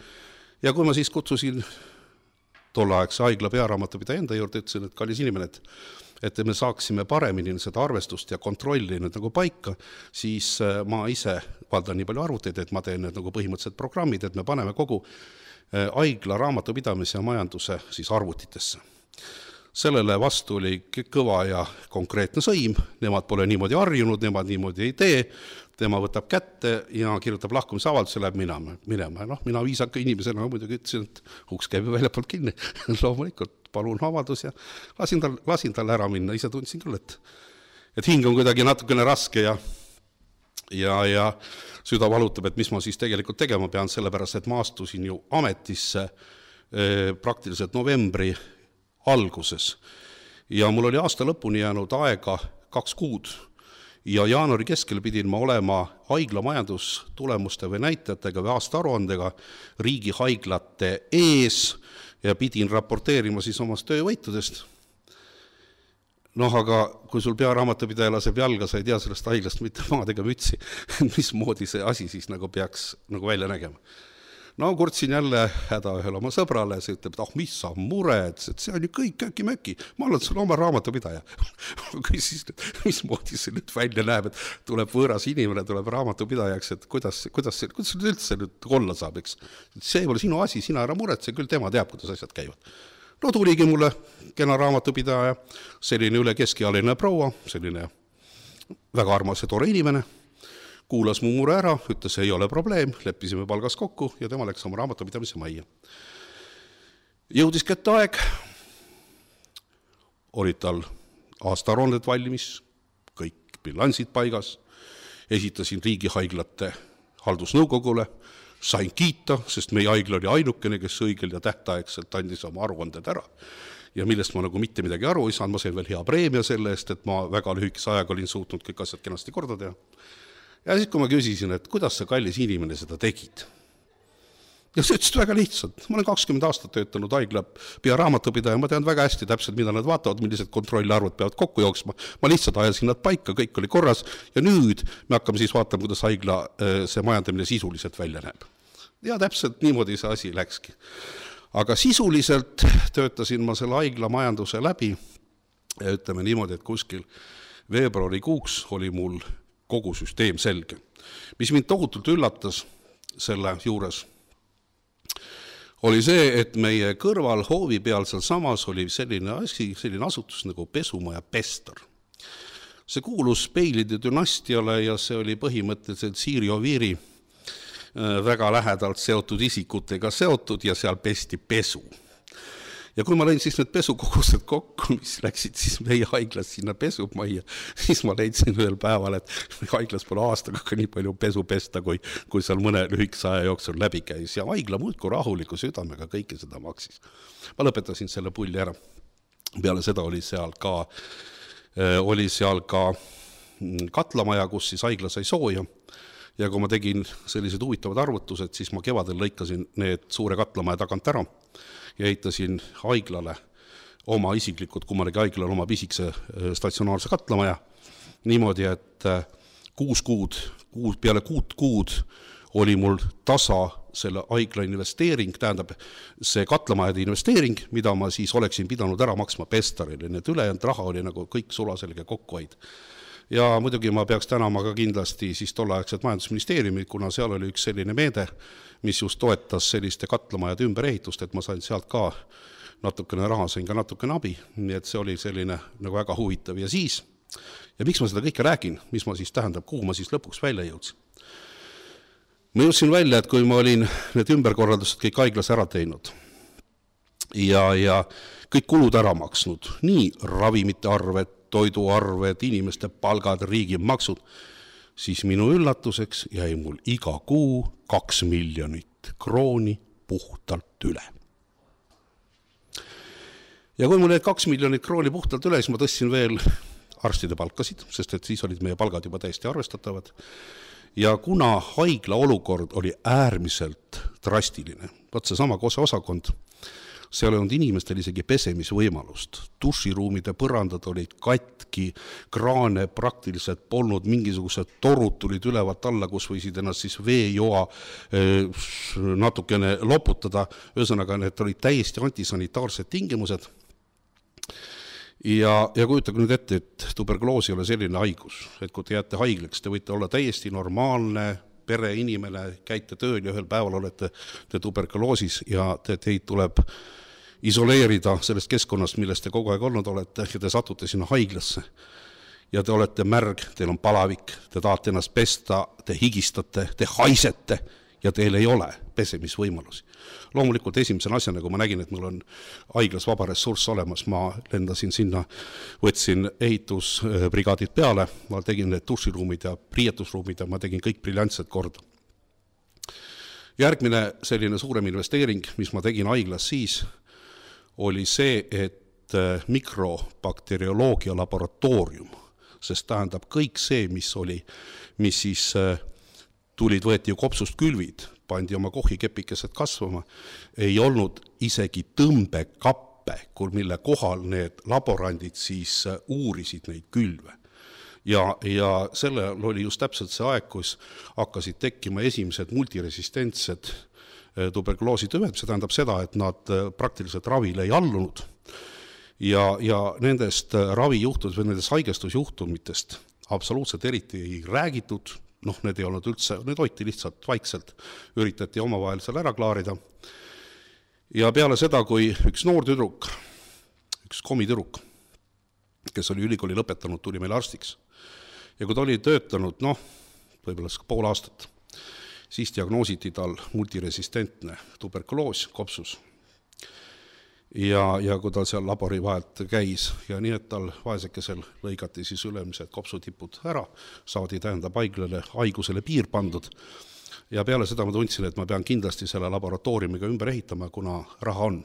ja kui ma siis kutsusin tolleaegse haigla pearaamatupidaja enda juurde, ütlesin, et kallis inimene, et me saaksime paremini seda arvestust ja kontrolli nüüd nagu paika, siis ma ise valdan nii palju arvuteid, et ma teen need nagu põhimõtteliselt programmid, et me paneme kogu haigla raamatupidamise ja majanduse siis arvutitesse. Sellele vastu oli kõva ja konkreetne sõim, nemad pole niimoodi harjunud, nemad niimoodi ei tee, tema võtab kätte ja kirjutab lahkumisavalduse, läheb minema. Mina viisaka inimesena muidugi ütlesin, et uks käib väljapoolt kinni, loomulikult palun avaldus ja lasin tal ära minna, ise tundsin küll, et hing on kuidagi natukene raske ja süda valutab, et mis ma siis tegelikult tegema pean, sellepärast, et ma astusin ju ametisse praktiliselt novembri alguses ja mul oli aasta lõpuni jäänud aega 2 kuud ja jaanuari keskel pidin ma olema haigla majandustulemuste või näitajatega või aasta aruandega riigi haiglate ees ja pidin raporteerima siis omast töövõitudest. Aga kui sul pearaamatupidaja laseb jalga, sa ei tea sellest haiglast mitte maadega mütsi, mismoodi see asi siis nagu peaks nagu välja nägema. Kurtsin jälle häda ühele oma sõbrale, see ütleb, et mis sa mured, see on ju kõik äkki-möki, ma olen sul oma raamatupidaja. Küsis, mismoodi see nüüd välja näeb, et tuleb võõras inimene, tuleb raamatupidajaks, et kuidas üldse nüüd olla saab, eks. See ei ole sinu asi, sina ära muretse, küll tema teab, kuidas asjad käivad. Tuligi mulle kena raamatupidaja, selline üle keskialine proua, selline väga armas ja tore inimene, kuulas mu mure ära, ütles, ei ole probleem, leppisime palgas kokku ja tema läks oma raamatupidamise majja. Jõudis kätte aeg, olid tal aastaaruanded valmis, kõik bilansid paigas, esitasin riigihaiglate haldusnõukogule, sain kiita, sest meie haigla oli ainukene, kes õigel ja tähtaegselt andis oma aruanded ära ja millest ma nagu mitte midagi aru ei saanud, ma sain veel hea preemia selle eest, et ma väga lühikese ajaga olin suutnud kõik asjad kenasti korda teha. Ja siis, kui ma küsisin, et kuidas sa kallis inimene seda tegid? Ja see ütlesid väga lihtsalt. Ma olen 20 aastat töötanud haigla pearaamatupidaja, ma tean väga hästi täpselt, mida nad vaatavad, millised kontrollarvud peavad kokku jooksma. Ma lihtsalt ajasin nad paika, kõik oli korras ja nüüd me hakkame siis vaatama, kuidas haigla see majandamine sisuliselt välja näeb. Ja täpselt niimoodi see asi läkski. Aga sisuliselt töötasin ma selle haigla majanduse läbi ja ütleme niimoodi, et kuskil veebruarikuuks oli mul kogu süsteem selge. Mis mind tohutult üllatas selle juures, oli see, et meie kõrval hoovi peal seal samas oli selline asutus nagu pesumaja Pester. See kuulus Peilide dünastiale ja see oli põhimõtteliselt Siiri Oviiri väga lähedalt seotud isikutega seotud ja seal pesti pesu. Ja kui ma lõin siis need pesukogused kokku, mis läksid siis meie haiglas sinna pesumajja, siis ma leidsin ühel päeval, et haiglas pole aastaga ka nii palju pesu pesta, kui seal mõne lühikese aja jooksul läbi käis. Ja haigla muudku rahuliku südamega kõike seda maksis. Ma lõpetasin selle pulli ära. Peale seda oli seal ka katlamaja, kus siis haigla sai sooja. Ja kui ma tegin sellised huvitavad arvutused, siis ma kevadel lõikasin need suure katlamaja tagant ära ja ehitasin haiglale oma isiklikud, kummalegi haiglale oma pisikse statsionaarse katlamaja. Niimoodi, et 6 kuud, peale 6 kuud oli mul tasa selle haigla investeering, tähendab see katlamajade investeering, mida ma siis oleksin pidanud ära maksma Pestarile. Need ülejäänud raha oli nagu kõik sulaselge kokkuhoid. Ja muidugi ma peaks tänama ka kindlasti siis tolleaegset majandusministeeriumi, kuna seal oli üks selline meede, mis just toetas selliste katlamajade ümberehitust, et ma sain sealt ka natukene raha, sain ka natukene abi, nii et see oli selline nagu väga huvitav. Ja siis, ja miks ma seda kõike räägin, mis ma siis tähendab, kuhu ma siis lõpuks välja jõudsin? Ma jõudsin välja, et kui ma olin need ümberkorraldused kõik haiglas ära teinud ja kõik kulud ära maksnud, nii ravimite arved, toiduarved, inimeste palgad, riigimaksud, siis minu üllatuseks jäi mul iga kuu 2 miljonit krooni puhtalt üle. Ja kui mul jäi 2 miljonit krooni puhtalt üle, siis ma tõstsin veel arstide palkasid, sest et siis olid meie palgad juba täiesti arvestatavad. Ja kuna haigla olukord oli äärmiselt drastiline, võt see sama osakond, seal ei olnud inimestel isegi pesemisvõimalust. Duširuumide põrandad olid katki, kraane praktiliselt polnud, mingisugused torud tulid ülevalt alla, kus võisid ennast siis veejoa natukene loputada. Ühesõnaga, need olid täiesti antisanitaarsed tingimused. Ja kujutage nüüd ette, et tuberkuloos ei ole selline haigus, et kui te jääte haiglaks, te võite olla täiesti normaalne pereinimene, käite tööl ja ühel päeval olete te tuberkuloosis ja teid tuleb isoleerida sellest keskkonnast, millest te kogu aeg olnud olete ja te satute sinna haiglasse. Ja te olete märg, teil on palavik, te tahate ennast pesta, te higistate, te haisete ja teil ei ole pesemisvõimalusi. Loomulikult esimesena asjana, kui ma nägin, et mul on haiglas vaba ressurss olemas, ma lendasin sinna, võtsin ehitusbrigaadid peale, ma tegin need duširuumid ja priietusruumid ja ma tegin kõik briljantselt korda. Järgmine selline suurem investeering, mis ma tegin haiglas siis, oli see, et mikrobakterioloogia laboratoorium, sest tähendab kõik see, mis siis tulid, võeti ju kopsust külvid, pandi oma kohikepikesed kasvama, ei olnud isegi tõmbekappe, mille kohal need laborandid siis uurisid neid külve. Ja sellel oli just täpselt see aeg, kus hakkasid tekkima esimesed multiresistentsed tuberkuloositüved, see tähendab seda, et nad praktiliselt ravile ei allunud ja nendest ravijuhtudest või nendest haigestusjuhtumitest absoluutselt eriti ei räägitud, need ei olnud üldse, need hoiti lihtsalt vaikselt, üritati omavahel seal ära klaarida. Ja peale seda, kui üks noor tüdruk, üks komitüdruk, kes oli ülikooli lõpetanud, tuli meil arstiks. Ja kui ta oli töötanud, võib-olla pool aastat, siis diagnoositi tal multiresistentne tuberkuloos kopsus. Ja kui tal seal labori vahelt käis ja nii, et tal vaesekesel lõigati siis ülemised kopsutipud ära, saadi tähendab haigusele piir pandud. Ja peale seda ma tundsin, et ma pean kindlasti selle laboratooriumiga ümber ehitama, kuna raha on.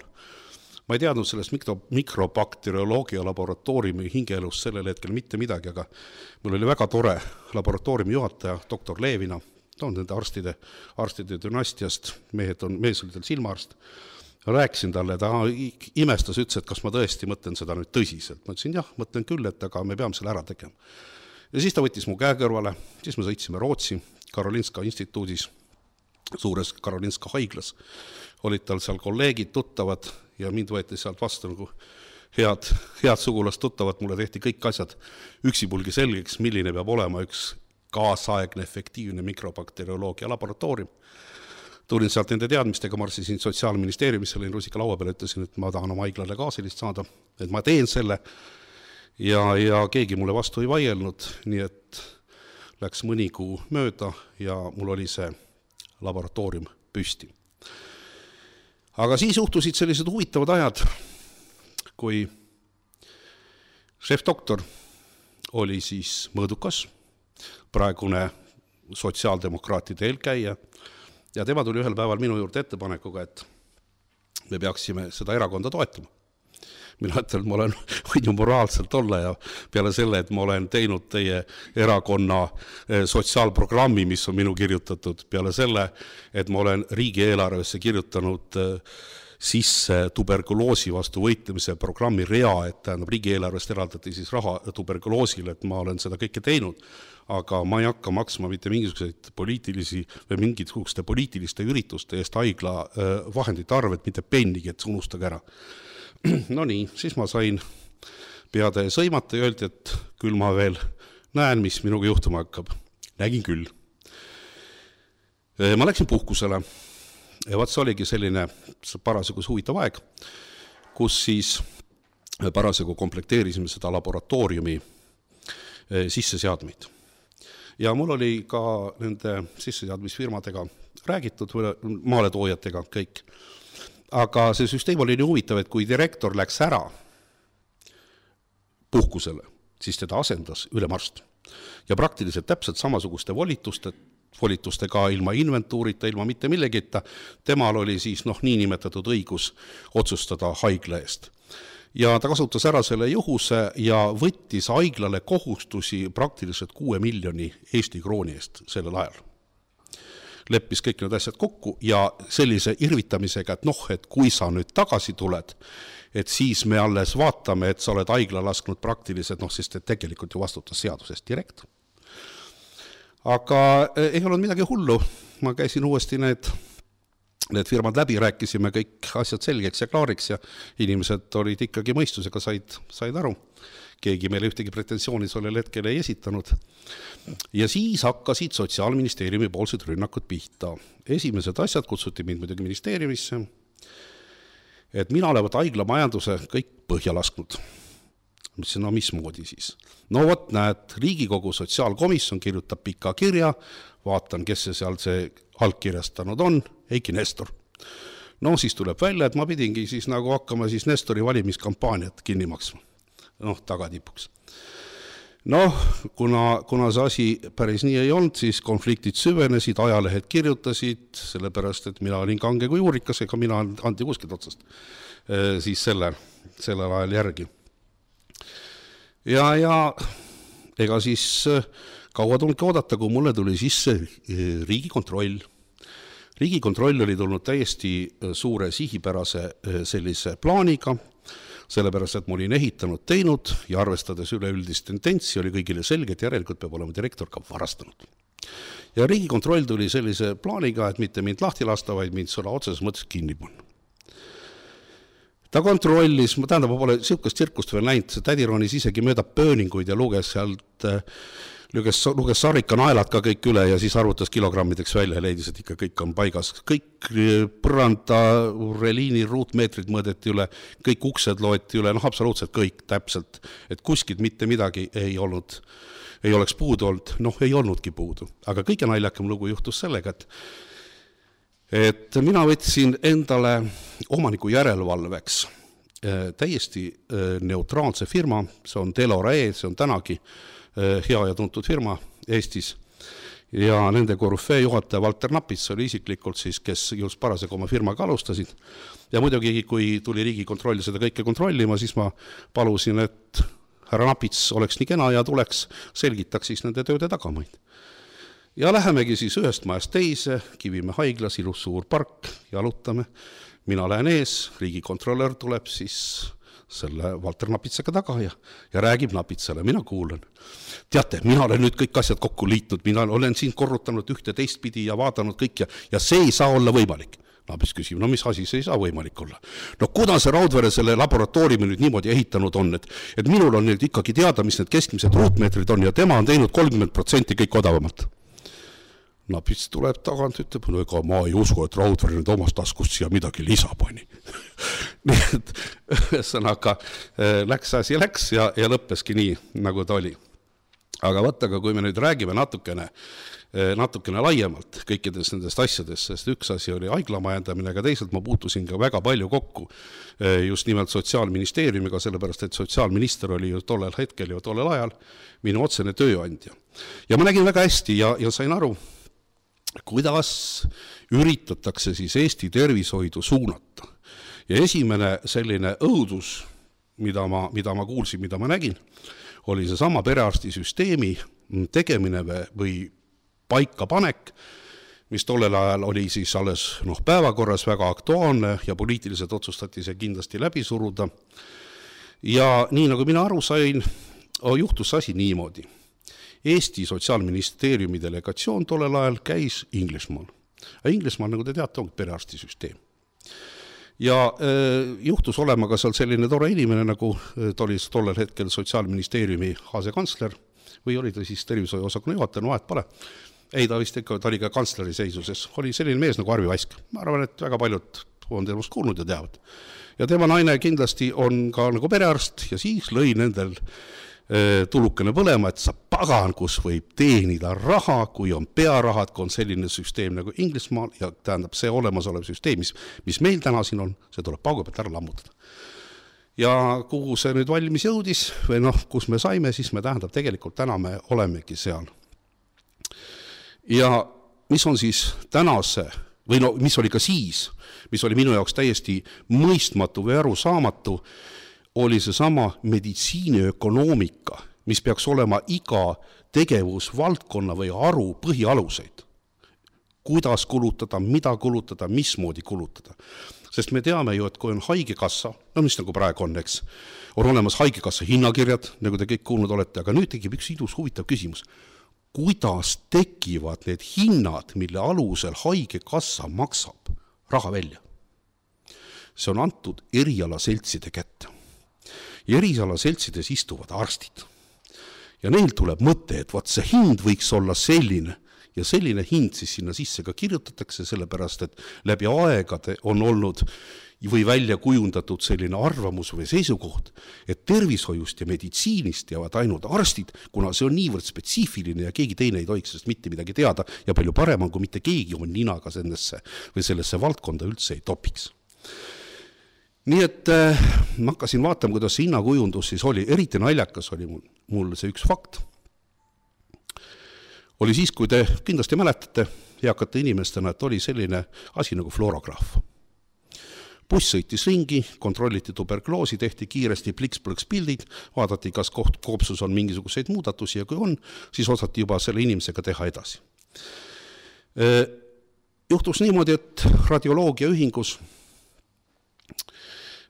Ma ei teadnud sellest mikrobakterioloogia laboratooriumi hingeelust sellel hetkel mitte midagi, aga mul oli väga tore laboratooriumi juhataja, doktor Leevina, ta on nende arstide dünastiast, mees oli tal silmaarst. Rääkisin talle, ta imestas, ütles, et kas ma tõesti mõtlen seda nüüd tõsiselt. Ma ütlesin, jah, mõtlen küll, et aga me peame selle ära tegema. Ja siis ta võttis mu käe kõrvale, siis me sõitsime Rootsi Karolinska instituudis, suures Karolinska haiglas. Olid tal seal kolleegid, tuttavad ja mind võeti sealt vastu nagu head sugulast tuttavad. Mulle tehti kõik asjad üksipulgi selgeks, milline peab olema üks kaasaegne efektiivne mikrobakterioloogia laboratoorium. Tulin sealt nende teadmistega, marssisin Sotsiaalministeeriumisse, olin rusika laua peale, ütlesin, et ma tahan oma haiglale ka sellist saada, et ma teen selle ja keegi mulle vastu ei vaielnud, nii et läks mõni kuu mööda ja mul oli see laboratoorium püsti. Aga siis juhtusid sellised huvitavad ajad, kui šefdoktor oli siis Mõõdukas, praegune sotsiaaldemokraatide eelkäija, ja tema tuli ühel päeval minu juurde ettepanekuga, et me peaksime seda erakonda toetama. Mina ütlen, et ma võin ju moraalselt olla ja peale selle, et ma olen teinud teie erakonna sotsiaalprogrammi, mis on minu kirjutatud, peale selle, et ma olen riigieelarvesse kirjutanud sisse tuberkuloosi vastu võitlemise programmi rea, et tähendab riigieelarvest eraldati siis raha tuberkuloosile, et ma olen seda kõike teinud, aga ma ei hakka maksma mitte mingisuguseid mingisuguste poliitiliste ürituste eest haigla vahendite arvet, mitte pennigi, et unustage ära. No nii, siis ma sain peade sõimata ja öeldi, et küll ma veel näen, mis minuga juhtuma hakkab. Nägin küll. Ma läksin puhkusele ja vaat see oligi selline parasjagu huvitav aeg, kus siis parasjagu komplekteerisime seda laboratooriumi sisseseadmeid. Ja mul oli ka nende sisseseadmisfirmadega räägitud, maaletoojatega kõik. Aga see süsteem oli nii huvitav, et kui direktor läks ära puhkusele, siis teda asendas ülemarst. Ja praktiliselt täpselt samasuguste volitustega ilma inventuurita, ilma mitte millegita, temal oli siis niinimetatud õigus otsustada haigla eest. Ja ta kasutas ära selle juhuse ja võttis haiglale kohustusi praktiliselt 6 miljoni Eesti krooni eest sellel ajal. Leppis kõik need asjad kokku ja sellise irvitamisega, et kui sa nüüd tagasi tuled, et siis me alles vaatame, et sa oled haigla lasknud praktiliselt, sest et tegelikult ju vastutas seadusest direktor. Aga ei olnud midagi hullu, ma käisin uuesti need firmad läbi, rääkisime kõik asjad selgeks ja klaariks ja inimesed olid ikkagi mõistusega, said aru. Keegi meile ühtegi pretensiooni sellel hetkel ei esitanud. Ja siis hakkasid Sotsiaalministeeriumi poolsed rünnakud pihta. Esimesed asjad kutsuti mind muidugi ministeeriumisse, et mina olevat haigla majanduse kõik põhja lasknud. Mõtlesin, mismoodi siis? Vot näed, Riigikogu sotsiaalkomisjon kirjutab pika kirja, vaatan, kes see allkirjastanud on, Eiki Nestor. Siis tuleb välja, et ma pidingi siis nagu hakkama siis Nestori valimiskampaaniat kinni maksma. Tagatipuks. Kuna see asi päris nii ei olnud, siis konfliktid süvenesid, ajalehed kirjutasid, sellepärast, et mina olin kange kui juurikas, ega mina anti kuskilt otsast siis sellel ajal järgi. Ja ega siis kaua tulnudki oodata, kui mulle tuli sisse Riigikontroll. Riigikontroll oli tulnud täiesti suure sihipärase sellise plaaniga, sellepärast, et ma olin ehitanud, teinud ja arvestades üleüldist tendentsi oli kõigile selge, et järelikult peab olema direktor ka varastanud. Ja Riigikontroll tuli sellise plaaniga, et mitte mind lahti lasta, vaid mind sõna otseses mõttes kinni panna. Ta kontrollis, ma pole sihukest tsirkust veel näinud, see tädi ronis isegi mööda pööninguid ja luges sarika naelad ka kõik üle ja siis arvutas kilogrammideks välja ja leidis, et ikka kõik on paigas. Kõik põranda, reliini ruutmeetrid mõõdeti üle, kõik uksed loeti üle, absoluutselt kõik täpselt, et kuskilt mitte midagi ei oleks puudu olnud, ei olnudki puudu. Aga kõige naljakam lugu juhtus sellega, et mina võtsin endale omaniku järelevalveks täiesti neutraalse firma, see on Delore, see on tänagi hea ja tuntud firma Eestis. ja nende korüfee juhataja Valter Napits oli isiklikult siis, kes just parasjagu oma firmaga alustasid. Ja muidugi, kui tuli Riigikontroll seda kõike kontrollima, siis ma palusin, et härra Napits oleks nii kena ja tuleks, selgitaks siis nende tööde tagamaid. Ja lähemegi siis ühest majast teise, Kivimäe haiglas, ilus suur park, jalutame. Mina lähen ees, riigikontrollör tuleb siis selle Valter Napitsaga taga ja räägib Napitsale, mina kuulen. Teate, mina olen nüüd kõik asjad kokku liitnud, mina olen siin korrutanud ühte teistpidi ja vaadanud kõik ja see ei saa olla võimalik. Napits küsib, no mis asi see ei saa võimalik olla? No kuidas see Raudvere selle laboratooriumi nüüd niimoodi ehitanud on, et minul on nüüd ikkagi teada, mis need keskmised ruutmeetrid on ja tema on teinud 30% kõik odavamalt. Napits tuleb tagant, ütleb, no ega ma ei usu, et Raudvere nüüd omast taskust siia midagi lisa pani. Nii et ühesõnaga läks ja lõppeski nii, nagu ta oli. Aga vaata, kui me nüüd räägime natukene laiemalt kõikidest nendest asjadest, sest üks asi oli haiglamajandamine, aga teisalt ma puutusin ka väga palju kokku just nimelt Sotsiaalministeeriumiga, sellepärast, et sotsiaalminister oli ju tollel hetkel ja tollel ajal minu otsene tööandja. Ja ma nägin väga hästi ja sain aru, kuidas üritatakse siis Eesti tervishoidu suunata. Ja esimene selline õudus, mida ma kuulsin, mida ma nägin, oli see sama perearstisüsteemi tegemine või paikapanek, mis tollel ajal oli siis alles päevakorras väga aktuaalne ja poliitiliselt otsustati see kindlasti läbi suruda. Ja nii nagu mina aru sain, juhtus asi niimoodi. Eesti Sotsiaalministeeriumi delegatsioon tollel ajal käis Inglismaal. Inglismaal, nagu te teate, on perearstisüsteem. Ja juhtus olema ka seal selline tore inimene, nagu ta oli tollel hetkel Sotsiaalministeeriumi asekantsler või oli ta siis tervishoiuosakonna juhataja, vahet pole. Ei, ta vist ikka, ta oli ka kantsleri seisuses. Oli selline mees nagu Arvi Vask. Ma arvan, et väga paljud on temast kuulnud ja teavad. Ja tema naine kindlasti on ka nagu perearst ja siis lõi nendel tulukene põlema, et sa pagan, kus võib teenida raha, kui on pearahad, kui on selline süsteem nagu Inglismaal ja tähendab see olemasolev süsteem, mis meil täna siin on, see tuleb paugu pealt ära lammutada. Ja kuhu see nüüd valmis jõudis või kus me saime, siis me tähendab tegelikult täna me olemegi seal. Ja mis on siis tänase, või mis oli ka siis, mis oli minu jaoks täiesti mõistmatu või arusaamatu, oli see sama meditsiiniökonoomika, mis peaks olema iga tegevusvaldkonna või aru põhialuseid. Kuidas kulutada, mida kulutada, mismoodi kulutada. Sest me teame ju, et kui on haigekassa, mis nagu praegu on, eks, on olemas haigekassa hinnakirjad, nagu te kõik kuulnud olete, aga nüüd tekib üks ilus huvitav küsimus. Kuidas tekivad need hinnad, mille alusel haigekassa maksab raha välja? See on antud erialaseltside kätte. Ja erialaseltsides istuvad arstid. Ja neil tuleb mõte, et vaat see hind võiks olla selline ja selline hind siis sinna sisse ka kirjutatakse, sellepärast, et läbi aegade on olnud või välja kujundatud selline arvamus või seisukoht, et tervishoiust ja meditsiinist teavad ainult arstid, kuna see on niivõrd spetsiifiline ja keegi teine ei tohiks sellest mitte midagi teada ja palju parem on, kui mitte keegi on ninaga sellesse valdkonda üldse ei topiks. Nii et ma hakkasin vaatama, kuidas see hinnakujundus siis oli. Eriti naljakas oli mul see üks fakt. Oli siis, kui te kindlasti mäletate heakate inimestena, et oli selline asi nagu fluorograaf. Buss sõitis ringi, kontrolliti tuberkuloosi, tehti kiiresti pliks-plõks pildid, vaadati, kas koopsus on mingisuguseid muudatusi ja kui on, siis osati juba selle inimesega teha edasi. Juhtus niimoodi, et radioloogia ühingus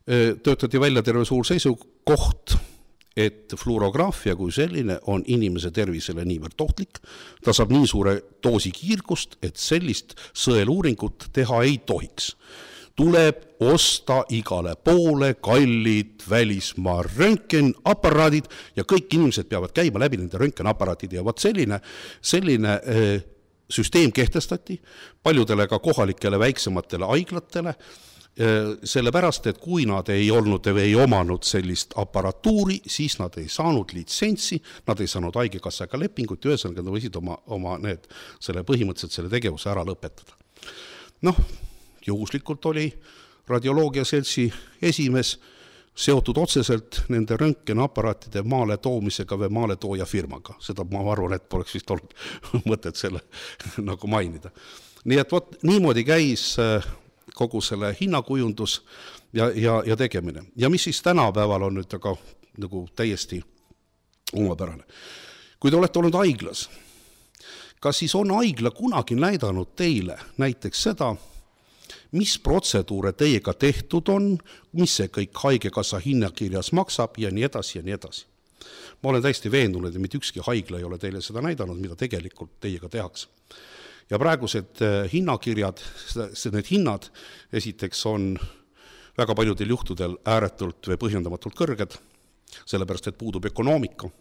töötati välja terve suur seisukoht, et fluorograafia kui selline on inimese tervisele niivõrd ohtlik, ta saab nii suure doosi kiirgust, et sellist sõeluuringut teha ei tohiks. Tuleb osta igale poole kallid välismaa röntgenaparaadid ja kõik inimesed peavad käima läbi nende röntgenaparaatid ja vaat selline süsteem kehtestati paljudele ka kohalikele väiksematele haiglatele, sellepärast, et kui nad ei olnud või ei omanud sellist aparatuuri, siis nad ei saanud litsentsi, nad ei saanud haigekassaga lepingut ja ühesõnaga nad võisid oma põhimõtteliselt selle tegevuse ära lõpetada. Juhuslikult oli radioloogia seltsi esimees seotud otseselt nende röntgenaparaatide maale toomisega või maale tooja firmaga. Seda ma arvan, et poleks vist olnud mõtet selle nagu mainida. Nii et niimoodi käis kogu selle hinnakujundus ja tegemine. Ja mis siis tänapäeval on nüüd aga nagu täiesti omapärane. Kui te olete olnud haiglas, kas siis on haigla kunagi näidanud teile näiteks seda, mis protseduure teiega tehtud on, mis see kõik haigekassa hinnakirjas maksab ja nii edasi ja nii edasi. Ma olen täiesti veendunud, et mitte ükski haigla ei ole teile seda näidanud, mida tegelikult teiega tehakse. Ja praegused hinnakirjad, need hinnad esiteks on väga paljudel juhtudel ääretult või põhjendamatult kõrged, sellepärast, et puudub ökonoomika.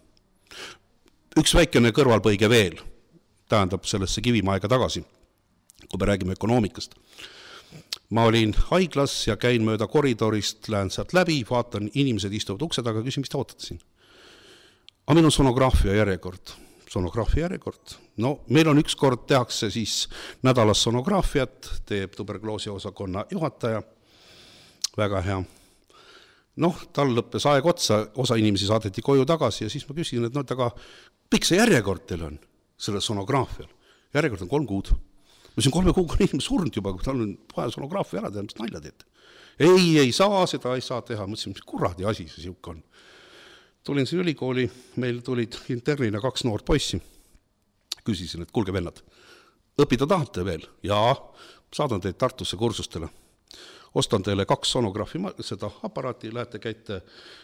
Üks väikene kõrvalpõige veel, tähendab sellesse Kivimäega tagasi, kui me räägime ökonoomikast. Ma olin haiglas ja käin mööda koridorist, lähen sealt läbi, vaatan, inimesed istuvad ukse taga, küsin, mis te ootate siin? Aga meil on sonograafia järjekord. Sonograafia järjekord. No, meil on üks kord tehakse siis nädalas sonograafiat, teeb tuberkuloosi osakonna juhataja. Väga hea. Noh, tal lõppes aeg otsa, osa inimesi saadeti koju tagasi ja siis ma küsin, et aga pikk see järjekord teil on sellel sonograafial? Järjekord on 3 kuud. Ma siin 3 kuuga on inimene surnud juba, kui tal on vaja sonograafia ära teha, mis nalja teete. Ei saa, seda ei saa teha. Mõtlesin, mis kuradi asi see siuke on. Tulin siin ülikooli, meil tulid internina 2 noort poissi. Küsisin, et kuulge vennad, õppida tahate veel? Jaa, saadan teid Tartusse kursustele. Ostan teile 2 sonograafi seda aparaati, lähete käite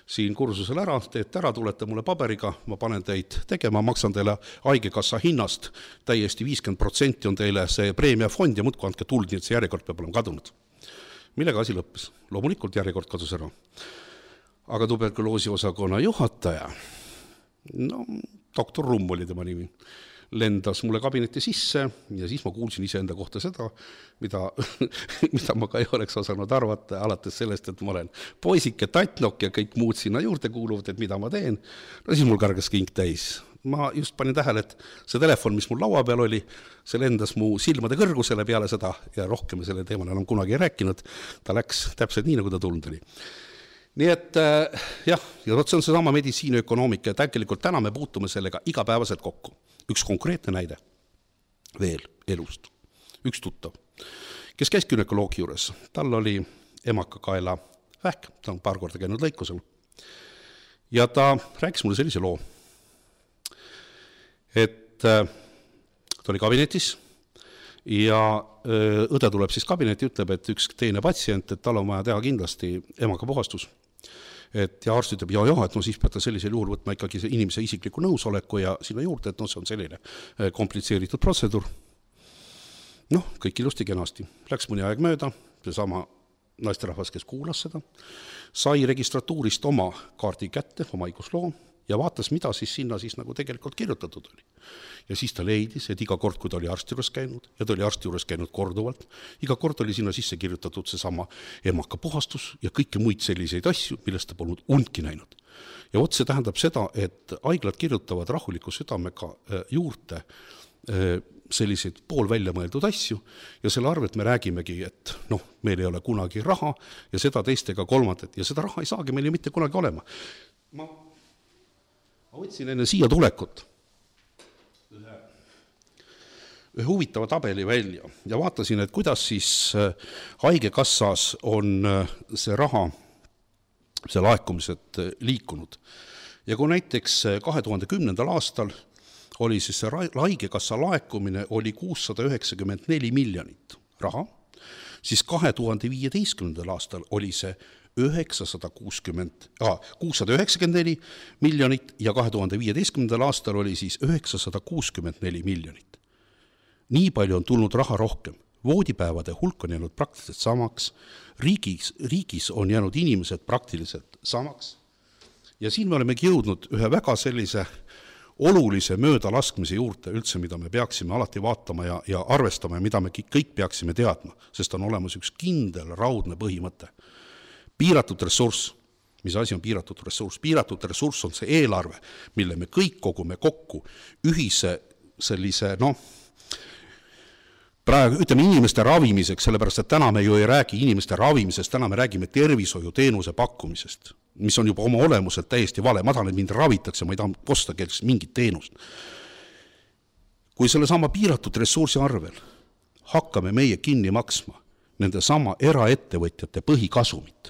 siin kursusel ära, teete ära, tulete mulle paberiga, ma panen teid tegema, maksan teile haigekassa hinnast, täiesti 50% on teile see preemiafond ja muudkui andke tuld, nii et see järjekord peab olema kadunud. Millega asi lõppes? Loomulikult järjekord kadus ära. Aga tuberkuloosi osakonna juhataja, no doktor Rumm oli tema nimi, lendas mulle kabineti sisse ja siis ma kuulsin iseenda kohta seda, mida ma ka ei oleks osanud arvata, alates sellest, et ma olen poisike tatnok ja kõik muud sinna juurde kuuluvad, et mida ma teen. No siis mul kargas kink täis. Ma just panin tähele, et see telefon, mis mul laua peal oli, see lendas mu silmade kõrgusele peale seda ja rohkem selle teemal enam kunagi ei rääkinud. Ta läks täpselt nii, nagu ta tulnud oli. Nii et jah, ja see on seesama meditsiiniökonoomika ja tegelikult täna me puutume sellega igapäevaselt kokku. Üks konkreetne näide veel elust. Üks tuttav, kes käis günekoloogi juures. Tal oli emakakaela vähk, ta on paar korda käinud lõikusel. Ja ta rääkis mulle sellise loo, et ta oli kabinetis ja õde tuleb siis kabineti, ütleb, et üks teine patsient, et tal on vaja teha kindlasti emakapuhastus. Et ja arst ütleb, et no siis peate sellisel juhul võtma ikkagi inimese isikliku nõusoleku ja sinna juurde, et no see on selline komplitseeritud protseduur. Noh, kõik ilusti kenasti. Läks mõni aeg mööda, seesama naisterahvas, kes kuulas seda, sai registratuurist oma kaardi kätte, oma haigusloo ja vaatas, mida siis sinna siis nagu tegelikult kirjutatud oli. Ja siis ta leidis, et iga kord, kui ta oli arsti juures käinud, ja ta oli arsti juures käinud korduvalt, iga kord oli sinna sisse kirjutatud seesama emakapuhastus ja kõiki muid selliseid asju, millest ta polnud undki näinud. Ja vot see tähendab seda, et haiglad kirjutavad rahuliku südamega juurde selliseid pool välja mõeldud asju ja selle arvelt me räägimegi, et noh, meil ei ole kunagi raha ja seda teistega kolmandat ja seda raha ei saagi meil ju mitte kunagi olema. Ma võtsin enne siia tulekut ühe huvitava tabeli välja ja vaatasin, et kuidas siis haigekassas on see raha, see laekumised liikunud. Ja kui näiteks 2010. aastal oli siis see haigekassa laekumine oli 694 miljonit raha, siis 2015. aastal oli see 694 miljonit ja 2015. aastal oli siis 964 miljonit. Nii palju on tulnud raha rohkem. Voodipäevade hulk on jäänud praktiliselt samaks, riigis on jäänud inimesed praktiliselt samaks ja siin me olemegi jõudnud ühe väga sellise olulise möödalaskmise juurde üldse, mida me peaksime alati vaatama ja arvestama ja mida me kõik peaksime teadma, sest on olemas üks kindel raudne põhimõte. Piiratud ressurss. Mis asi on piiratud ressurss? Piiratud ressurss on see eelarve, mille me kõik kogume kokku ühise sellise, praegu ütleme inimeste ravimiseks, sellepärast, et täna me ju ei räägi inimeste ravimisest, täna me räägime tervishoiuteenuse pakkumisest. mis on juba oma olemuselt täiesti vale. Ma tahan, et mind ravitakse, ma ei taha osta kelleks mingit teenust. Kui selle sama piiratud ressursi arvel hakkame meie kinni maksma nende sama eraettevõtjate põhikasumit,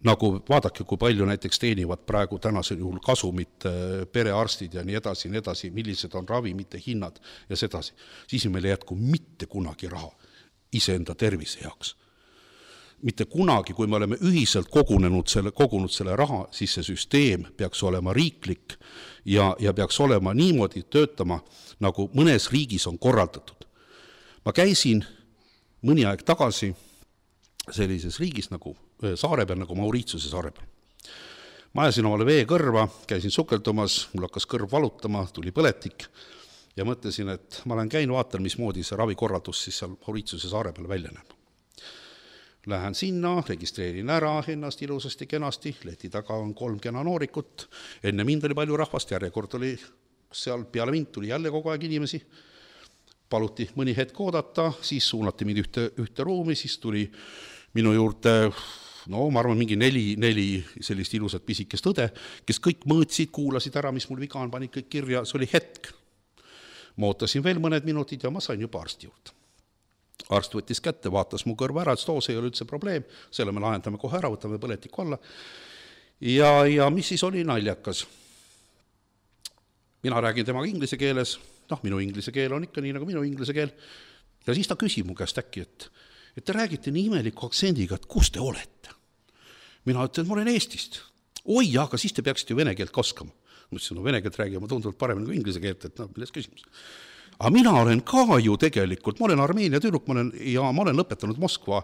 nagu vaadake, kui palju näiteks teenivad praegu tänasel juhul kasumit perearstid ja nii edasi, millised on ravimite hinnad ja sedasi, siis meil ei jätku mitte kunagi raha iseenda tervise jaoks. Mitte kunagi, kui me oleme ühiselt kogunud selle raha, siis see süsteem peaks olema riiklik ja peaks olema niimoodi töötama, nagu mõnes riigis on korraldatud. Ma käisin mõni aeg tagasi sellises riigis nagu saare peal, nagu Mauritiuse saare peal. Ma ajasin omale vee kõrva, käisin sukeldumas, mul hakkas kõrv valutama, tuli põletik ja mõtlesin, et ma olen käinud, vaatan, mismoodi see ravikorraldus siis seal Mauritiuse saare peal välja näeb. Lähen sinna, registreerin ära ennast ilusasti kenasti, leti taga on 3 kena noorikut, enne mind oli palju rahvast, järjekord oli seal, peale mind tuli jälle kogu aeg inimesi, paluti mõni hetk oodata, siis suunati mind ühte ruumi, siis tuli minu juurde, ma arvan, mingi 4 sellist ilusat pisikest õde, kes kõik mõõtsid, kuulasid ära, mis mul viga on, pani kõik kirja, see oli hetk. Ma ootasin veel mõned minutid ja ma sain juba arsti juurde. Arst võttis kätte, vaatas mu kõrva ära, et see ei ole üldse probleem, selle me lahendame kohe ära, võtame põletiku alla. Ja mis siis oli naljakas? Mina räägin temaga inglise keeles, minu inglise keel on ikka nii nagu minu inglise keel, ja siis ta küsib mu käest äkki, et te räägite nii imeliku aktsendiga, et kus te olete? Mina ütlen, et ma olen Eestist. Oi, aga siis te peaksite ju vene keelt oskama. Ma ütlesin, vene keelt räägima tunduvalt paremini kui inglise keelt, et milles küsimus. Aga mina olen ka ju tegelikult, ma olen Armeenia tüdruk, ma olen lõpetanud Moskva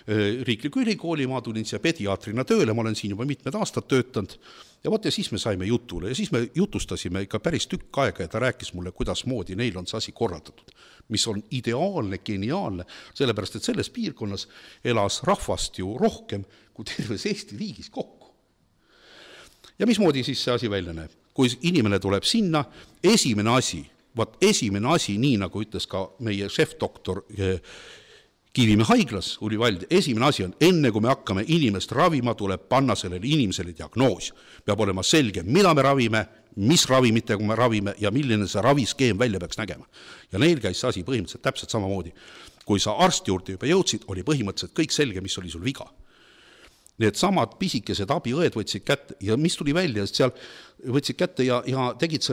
riikliku ülikooli, ma tulin siia pediaatrina tööle, ma olen siin juba mitmed aastad töötanud ja siis me saime jutule ja siis me jutustasime ikka päris tükk aega ja ta rääkis mulle, kuidas moodi neil on see asi korraldatud, mis on ideaalne, geniaalne, sellepärast et selles piirkonnas elas rahvast ju rohkem kui terves Eesti riigis kokku. Ja mismoodi siis see asi välja näeb? Kui inimene tuleb sinna, esimene asi, nii nagu ütles ka meie šefdoktor Kivimäe haiglas, esimene asi on, enne kui me hakkame inimest ravima, tuleb panna sellele inimesele diagnoos. Peab olema selge, mida me ravime, mis ravimitega me ravime ja milline see raviskeem välja peaks nägema. Ja neil käis see asi põhimõtteliselt täpselt samamoodi. Kui sa arsti juurde juba jõudsid, oli põhimõtteliselt kõik selge, mis oli sul viga. Need samad pisikesed abiõed võtsid kätte ja mis tuli välja, seal võtsid kätte ja tegid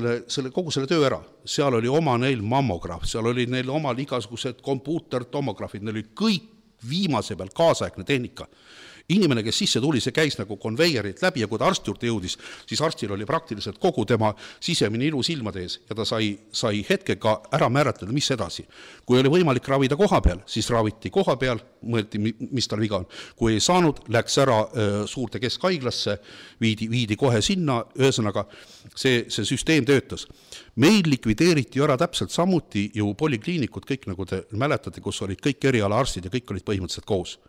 kogu selle töö ära. Seal oli oma neil mammograaf, seal oli neil omal igasugused kompuutertomograafid, neil oli kõik viimase peal kaasaegne tehnika. Inimene, kes sisse tuli, see käis nagu konveierit läbi ja kui ta arsti juurde jõudis, siis arstil oli praktiliselt kogu tema sisemine ilu silmade ees ja ta sai hetkega ära määratleda, mis edasi. Kui oli võimalik ravida koha peal, siis raviti koha peal, mõeldi, mis tal viga on. Kui ei saanud, läks ära suurde keskhaiglasse, viidi kohe sinna, ühesõnaga see süsteem töötas. Meil likvideeriti ära täpselt samuti ju polikliinikud, kõik nagu te mäletate, kus olid kõik erialaarstid ja kõik olid põhimõtteliselt koos.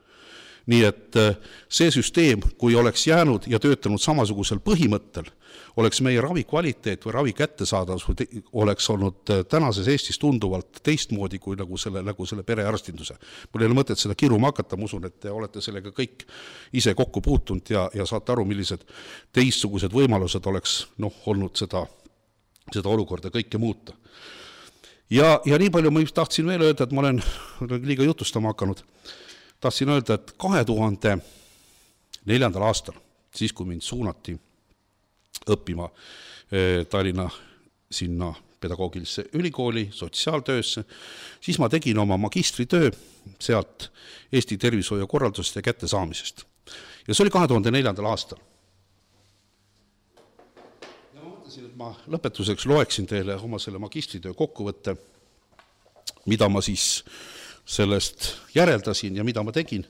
Nii et see süsteem, kui oleks jäänud ja töötanud samasugusel põhimõttel, oleks meie ravi kvaliteet või ravi kättesaadavus oleks olnud tänases Eestis tunduvalt teistmoodi kui nagu selle perearstinduse. Mul ei ole mõtet seda kiruma hakata, ma usun, et te olete sellega kõik ise kokku puutunud ja saate aru, millised teistsugused võimalused oleks olnud seda olukorda kõike muuta. Ja nii palju ma tahtsin veel öelda, et ma olen liiga jutustama hakanud. Tahtsin öelda, et 2004. aastal, siis kui mind suunati õppima Tallinna sinna pedagoogilisse ülikooli, sotsiaaltöösse, siis ma tegin oma magistritöö sealt Eesti tervishoiukorraldusest ja kättesaamisest. Ja see oli 2004. aastal. Ja ma mõtlesin, et ma lõpetuseks loeksin teile oma selle magistritöö kokkuvõtte, mida ma siis sellest järeldasin ja mida ma tegin,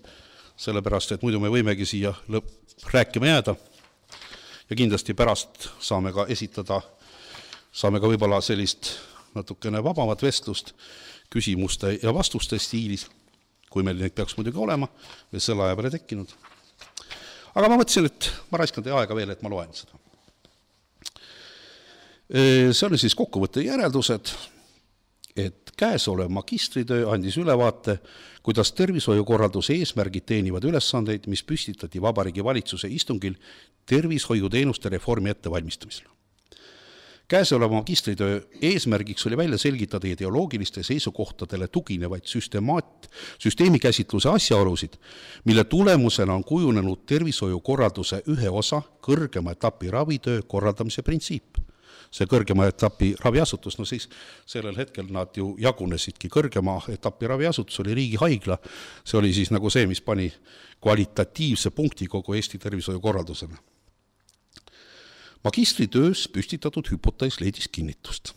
sellepärast, et muidu me võimegi siia rääkima jääda ja kindlasti pärast saame ka võib-olla sellist natukene vabamat vestlust küsimuste ja vastuste stiilis, kui meil neid peaks muidugi olema või selle aja peale tekkinud. Aga ma mõtlesin, et ma raiskan teie aega veel, et ma loen seda. See on siis kokkuvõtte järeldused, et Käesolev magistritöö andis ülevaate, kuidas tervishoiukorralduse eesmärgid teenivad ülesandeid, mis püstitati Vabariigi Valitsuse istungil tervishoiuteenuste reformi ettevalmistamisel. Käesoleva magistritöö eesmärgiks oli välja selgitada ideoloogiliste seisukohtadele tuginevaid süsteemikäsitluse asjaolusid, mille tulemusena on kujunenud tervishoiukorralduse ühe osa kõrgema etapi ravitöö korraldamise printsiip. See kõrgema etapi raviasutus, no siis sellel hetkel nad ju jagunesidki. Kõrgema etapi raviasutus oli riigihaigla, see oli siis nagu see, mis pani kvalitatiivse punkti kogu Eesti tervishoiukorraldusena. Magistritöös püstitatud hüpotees leidis kinnitust.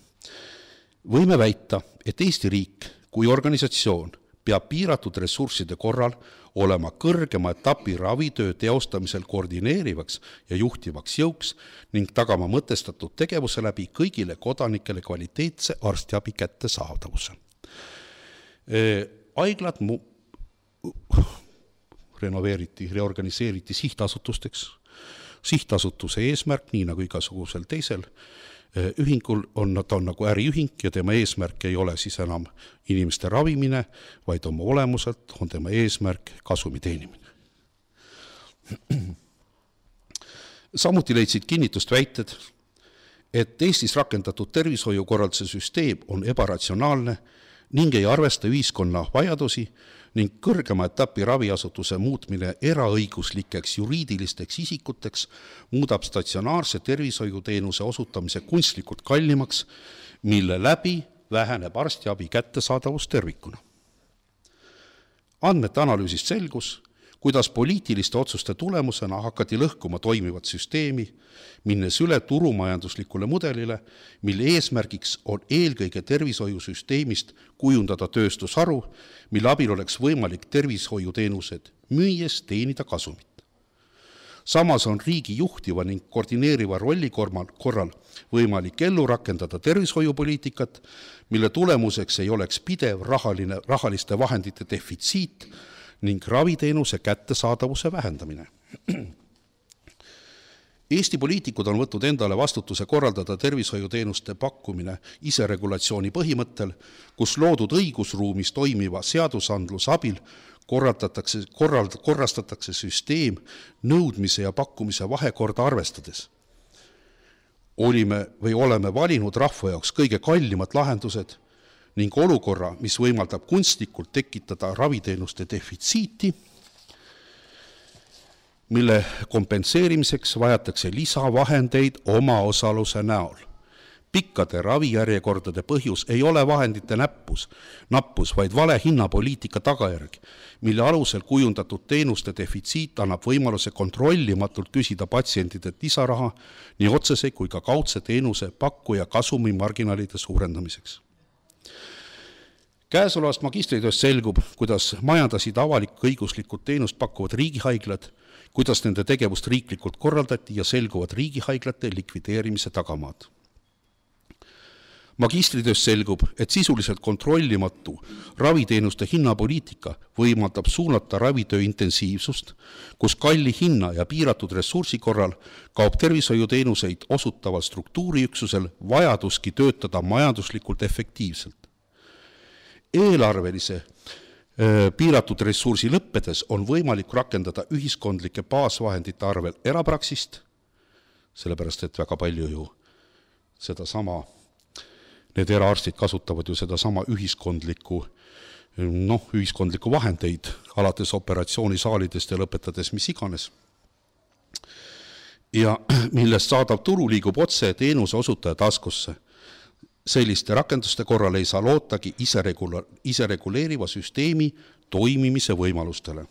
Võime väita, et Eesti riik kui organisatsioon peab piiratud ressursside korral olema kõrgema etapi ravitöö teostamisel koordineerivaks ja juhtivaks jõuks ning tagama mõtestatud tegevuse läbi kõigile kodanikele kvaliteetse arstiabi kättesaadavuse. Haiglad reorganiseeriti sihtasutusteks. Sihtasutuse eesmärk, nii nagu igasugusel teisel ühingul, ta on nagu äriühing ja tema eesmärk ei ole siis enam inimeste ravimine, vaid oma olemuselt on tema eesmärk kasumi teenimine. Samuti leidsid kinnitust väited, et Eestis rakendatud tervishoiukorralduse süsteem on ebaratsionaalne ning ei arvesta ühiskonna vajadusi ning kõrgema etapi raviasutuse muutmine eraõiguslikeks juriidilisteks isikuteks muudab statsionaarse tervishoiuteenuse osutamise kunstlikult kallimaks, mille läbi väheneb arstiabi kättesaadavus tervikuna. Andmete analüüsist selgus, kuidas poliitiliste otsuste tulemusena hakati lõhkuma toimivat süsteemi, minnes üle turumajanduslikule mudelile, mille eesmärgiks on eelkõige tervishoiusüsteemist kujundada tööstusharu, mille abil oleks võimalik tervishoiuteenused müües teenida kasumit. Samas on riigi juhtiva ning koordineeriva rolli korral võimalik ellu rakendada tervishoiupoliitikat, mille tulemuseks ei oleks pidev rahaliste vahendite defitsiit ning raviteenuse kättesaadavuse vähendamine. Eesti poliitikud on võtnud endale vastutuse korraldada tervishoiuteenuste pakkumine iseregulatsiooni põhimõttel, kus loodud õigusruumis toimiva seadusandluse abil korrastatakse süsteem nõudmise ja pakkumise vahekorda arvestades. Oleme valinud rahva jaoks kõige kallimad lahendused ning olukorra, mis võimaldab kunstlikult tekitada raviteenuste defitsiiti, mille kompenseerimiseks vajatakse lisavahendeid omaosaluse näol. Pikkade ravijärjekordade põhjus ei ole vahendite nappus, vaid vale hinnapoliitika tagajärg, mille alusel kujundatud teenuste defitsiit annab võimaluse kontrollimatult küsida patsientidelt lisaraha nii otsese kui ka kaudse teenuse pakkuja kasumi marginaalide suurendamiseks. Käesolevast magistritööst selgub, kuidas majandasid avalik-õiguslikud teenust pakkuvad riigihaiglad, kuidas nende tegevust riiklikult korraldati ja selguvad riigihaiglate likvideerimise tagamaad. Magistritööst selgub, et sisuliselt kontrollimatu raviteenuste hinnapoliitika võimaldab suunata ravitöö intensiivsust, kus kalli hinna ja piiratud ressursi korral kaob tervishoiuteenuseid osutaval struktuuriüksusel vajaduski töötada majanduslikult efektiivselt. Eelarvelise piiratud ressursi lõppedes on võimalik rakendada ühiskondlike baasvahendite arvel erapraksist, sellepärast et väga palju ju need eraarstid kasutavad ju sedasama ühiskondlikku vahendeid, alates operatsioonisaalidest ja lõpetades mis iganes. Ja millest saadav tulu liigub otse teenuse osutaja taskusse. Selliste rakenduste korral ei saa lootagi isereguleeriva süsteemi toimimise võimalustele.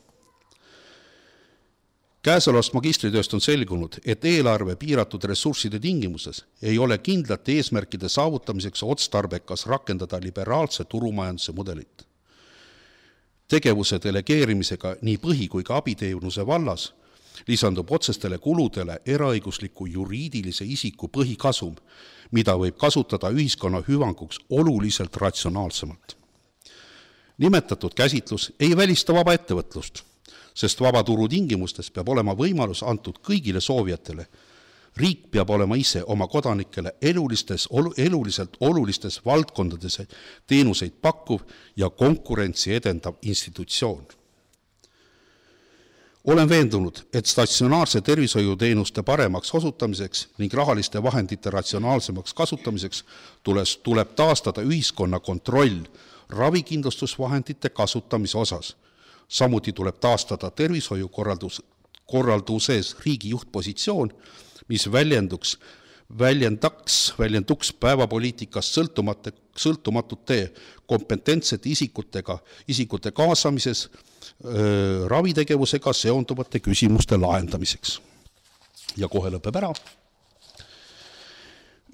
Käesolevast magistritööst on selgunud, et eelarve piiratud ressursside tingimuses ei ole kindlate eesmärkide saavutamiseks otstarbekas rakendada liberaalse turumajanduse mudelit. Tegevuse delegeerimisega nii põhi- kui ka abiteenuse vallas lisandub otsestele kuludele eraõigusliku juriidilise isiku põhikasum, mida võib kasutada ühiskonna hüvanguks oluliselt ratsionaalsemalt. Nimetatud käsitlus ei välista vaba ettevõtlust, sest vabaturu tingimustes peab olema võimalus antud kõigile soovijatele Riik peab olema ise oma kodanikele eluliselt olulistes valdkondades teenuseid pakkuv ja konkurentsi edendav institutsioon. Olen veendunud, et statsionaarse tervishoiuteenuste paremaks osutamiseks ning rahaliste vahendite ratsionaalsemaks kasutamiseks tuleb taastada ühiskonna kontroll ravikindlustusvahendite kasutamise osas. Samuti tuleb taastada tervishoiukorralduses riigi juhtpositsioon, mis väljenduks päevapoliitikast sõltumatute kompetentsete isikute kaasamises ravitegevusega seonduvate küsimuste lahendamiseks. Ja kohe lõpeb ära.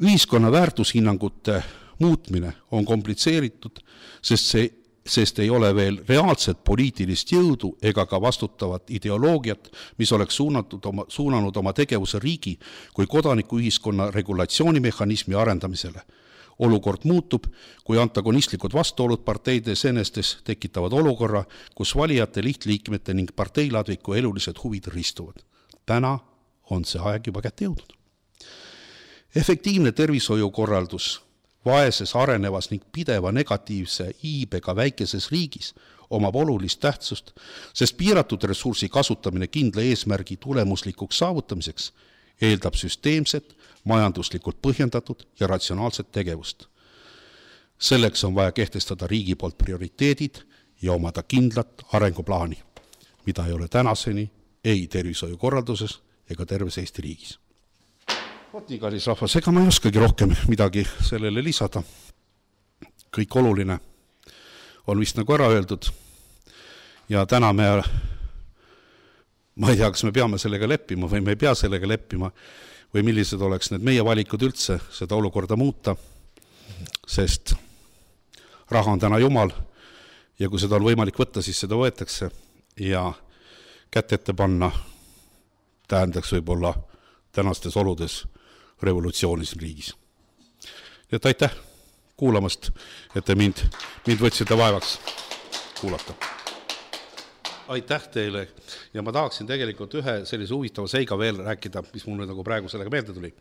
Ühiskonna väärtushinnangute muutmine on komplitseeritud, sest ei ole veel reaalset poliitilist jõudu ega ka vastutavat ideoloogiat, mis oleks suunanud oma tegevuse riigi kui kodanikuühiskonna regulatsioonimehhanismi arendamisele. Olukord muutub, kui antagonistlikud vastuolud parteide senestes tekitavad olukorra, kus valijate, lihtliikmete ning parteiladviku elulised huvid ristuvad. Täna on see aeg juba kätte jõudnud. Efektiivne tervishoiukorraldus vaeses, arenevas ning pideva negatiivse iibega väikeses riigis omab olulist tähtsust, sest piiratud ressursi kasutamine kindla eesmärgi tulemuslikuks saavutamiseks eeldab süsteemset, majanduslikult põhjendatud ja ratsionaalset tegevust. Selleks on vaja kehtestada riigi poolt prioriteedid ja omada kindlat arenguplaani, mida ei ole tänaseni ei tervishoiukorralduses ega terves Eesti riigis. Nii, kallis rahvas, ega ma ei oskagi rohkem midagi sellele lisada. Kõik oluline on vist nagu ära öeldud ja täna ma ei tea, kas me peame sellega leppima või me ei pea sellega leppima või millised oleks need meie valikud üldse seda olukorda muuta, sest raha on täna jumal ja kui seda on võimalik võtta, siis seda võetakse ja kätt ette panna tähendaks võib-olla tänastes oludes revolutsiooni siin riigis. Et aitäh kuulamast, et te mind võtsite vaevaks kuulata. Aitäh teile ja ma tahaksin tegelikult ühe sellise huvitava seiga veel rääkida, mis mul nagu praegu sellega meelde tuli.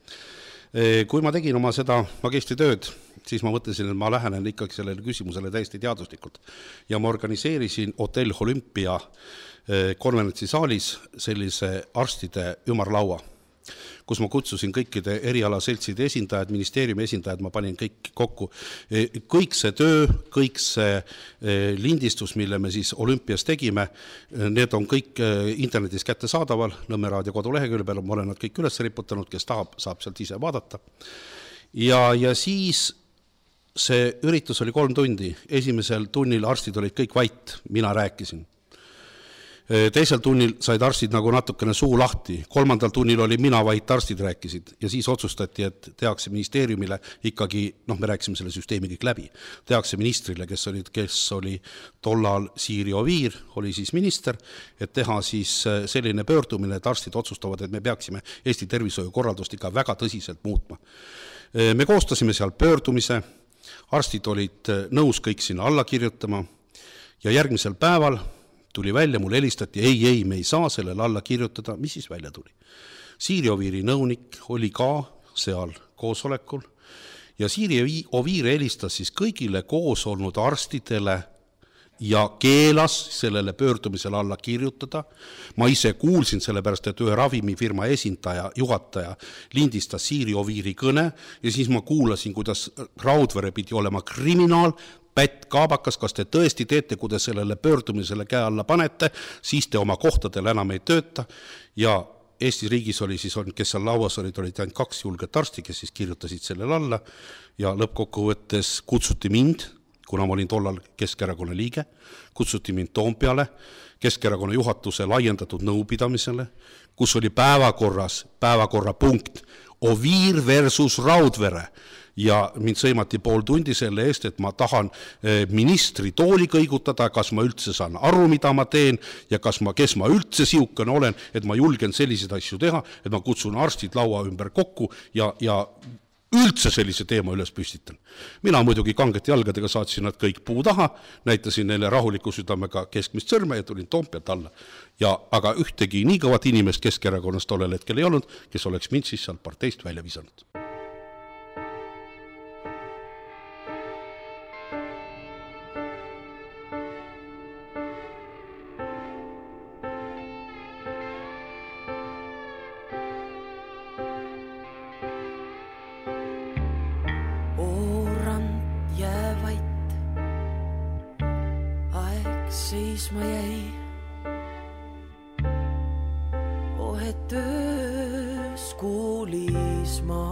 Kui ma tegin oma seda magistritööd, siis ma mõtlesin, et ma lähenen ikkagi sellele küsimusele täiesti teaduslikult ja ma organiseerisin Hotell Olympia konverentsisaalis sellise arstide ümarlaua, kus ma kutsusin kõikide erialaseltside esindajad, ministeeriumi esindajad, ma panin kõik kokku. Kõik see töö, kõik see lindistus, mille me siis Olümpias tegime, need on kõik internetis kätte saadaval, Nõmme Raadio kodulehekülje peal, ma olen nad kõik üles riputanud, kes tahab, saab sealt ise vaadata. Ja siis see üritus oli 3 tundi, esimesel tunnil arstid olid kõik vait, mina rääkisin. Teisel tunnil said arstid nagu natukene suu lahti, 3. tunnil oli mina vait, arstid rääkisid ja siis otsustati, et tehakse ministeeriumile ikkagi, me rääkisime selle süsteemi kõik läbi, tehakse ministrile, kes oli tollal Siiri Oviir, oli siis minister, et teha siis selline pöördumine, et arstid otsustavad, et me peaksime Eesti tervishoiukorraldust ikka väga tõsiselt muutma. Me koostasime seal pöördumise, arstid olid nõus kõik sinna alla kirjutama ja järgmisel päeval tuli välja, mul helistati, ei, me ei saa sellele alla kirjutada, mis siis välja tuli. Siiri Oviiri nõunik oli ka seal koosolekul ja Siiri Oviir helistas siis kõigile koos olnud arstidele ja keelas sellele pöördumisele alla kirjutada. Ma ise kuulsin sellepärast, et ühe ravimifirma esindaja, juhataja lindistas Siiri Oviiri kõne ja siis ma kuulasin, kuidas Raudvere pidi olema kriminaal, Pätt Kaabakas, kas te tõesti teete, kui te sellele pöördumisele käe alla panete, siis te oma kohtadel enam ei tööta ja Eesti riigis oli siis, kes seal lauas olid ainult 2 julget arsti, kes siis kirjutasid sellele alla ja lõppkokkuvõttes kutsuti mind, kuna ma olin tollal Keskerakonna liige, kutsuti mind Toompeale Keskerakonna juhatuse laiendatud nõupidamisele, kus oli päevakorrapunkt Oviir versus Raudvere ja mind sõimati 5 tundi selle eest, et ma tahan ministri tooli kõigutada, kas ma üldse saan aru, mida ma teen ja kes ma üldse siukene olen, et ma julgen selliseid asju teha, et ma kutsun arstid laua ümber kokku ja üldse sellise teema üles püstitan. Mina muidugi kangete jalgadega saatsin nad kõik puu taha, näitasin neile rahuliku südamega keskmist sõrme ja tulin Toompealt alla. Aga ühtegi nii kõvat inimest Keskerakonnast tollel hetkel ei olnud, kes oleks mind siis seal parteist välja visanud. Ma jäi töös kuulis ma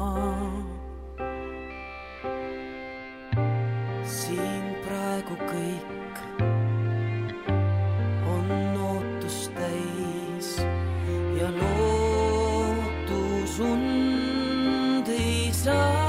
siin praegu kõik on ootust täis ja lootus und ei saa.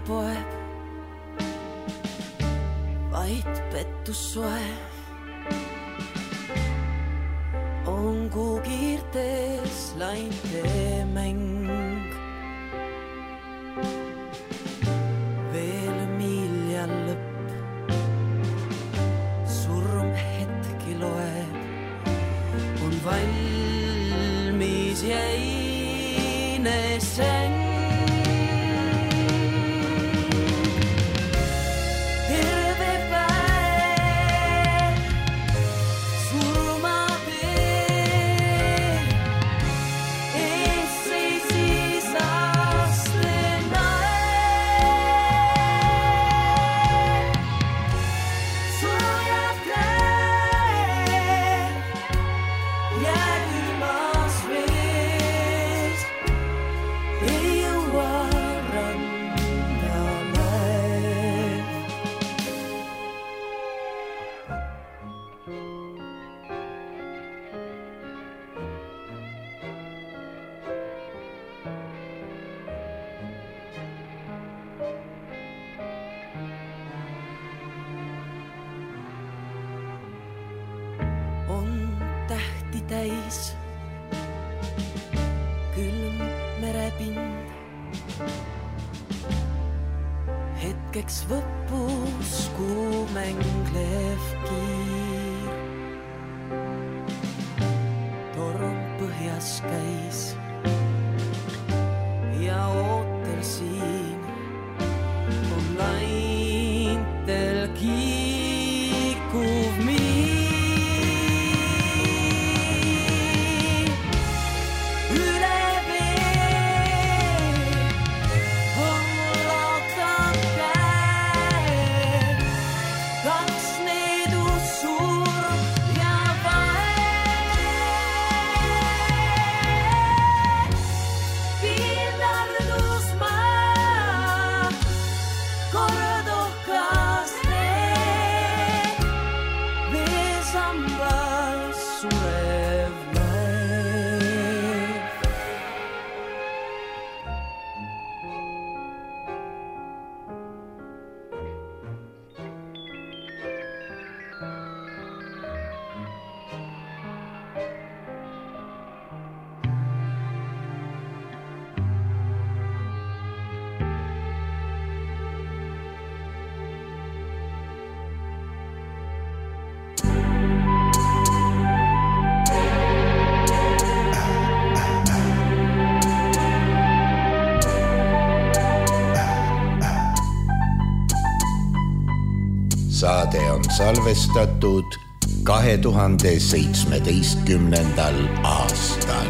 Poeb, vaid pettus soe on kuu kiirtes lainte mäng. Veel milja lõpp, surm hetki loeb, on valmis jäine säng. Täis külm merepind, hetkeks võppus kuumenglev kiir. Torm põhjas käis ja ootel siin on laintel kiikuv miir. Saade on salvestatud 2017. aastal.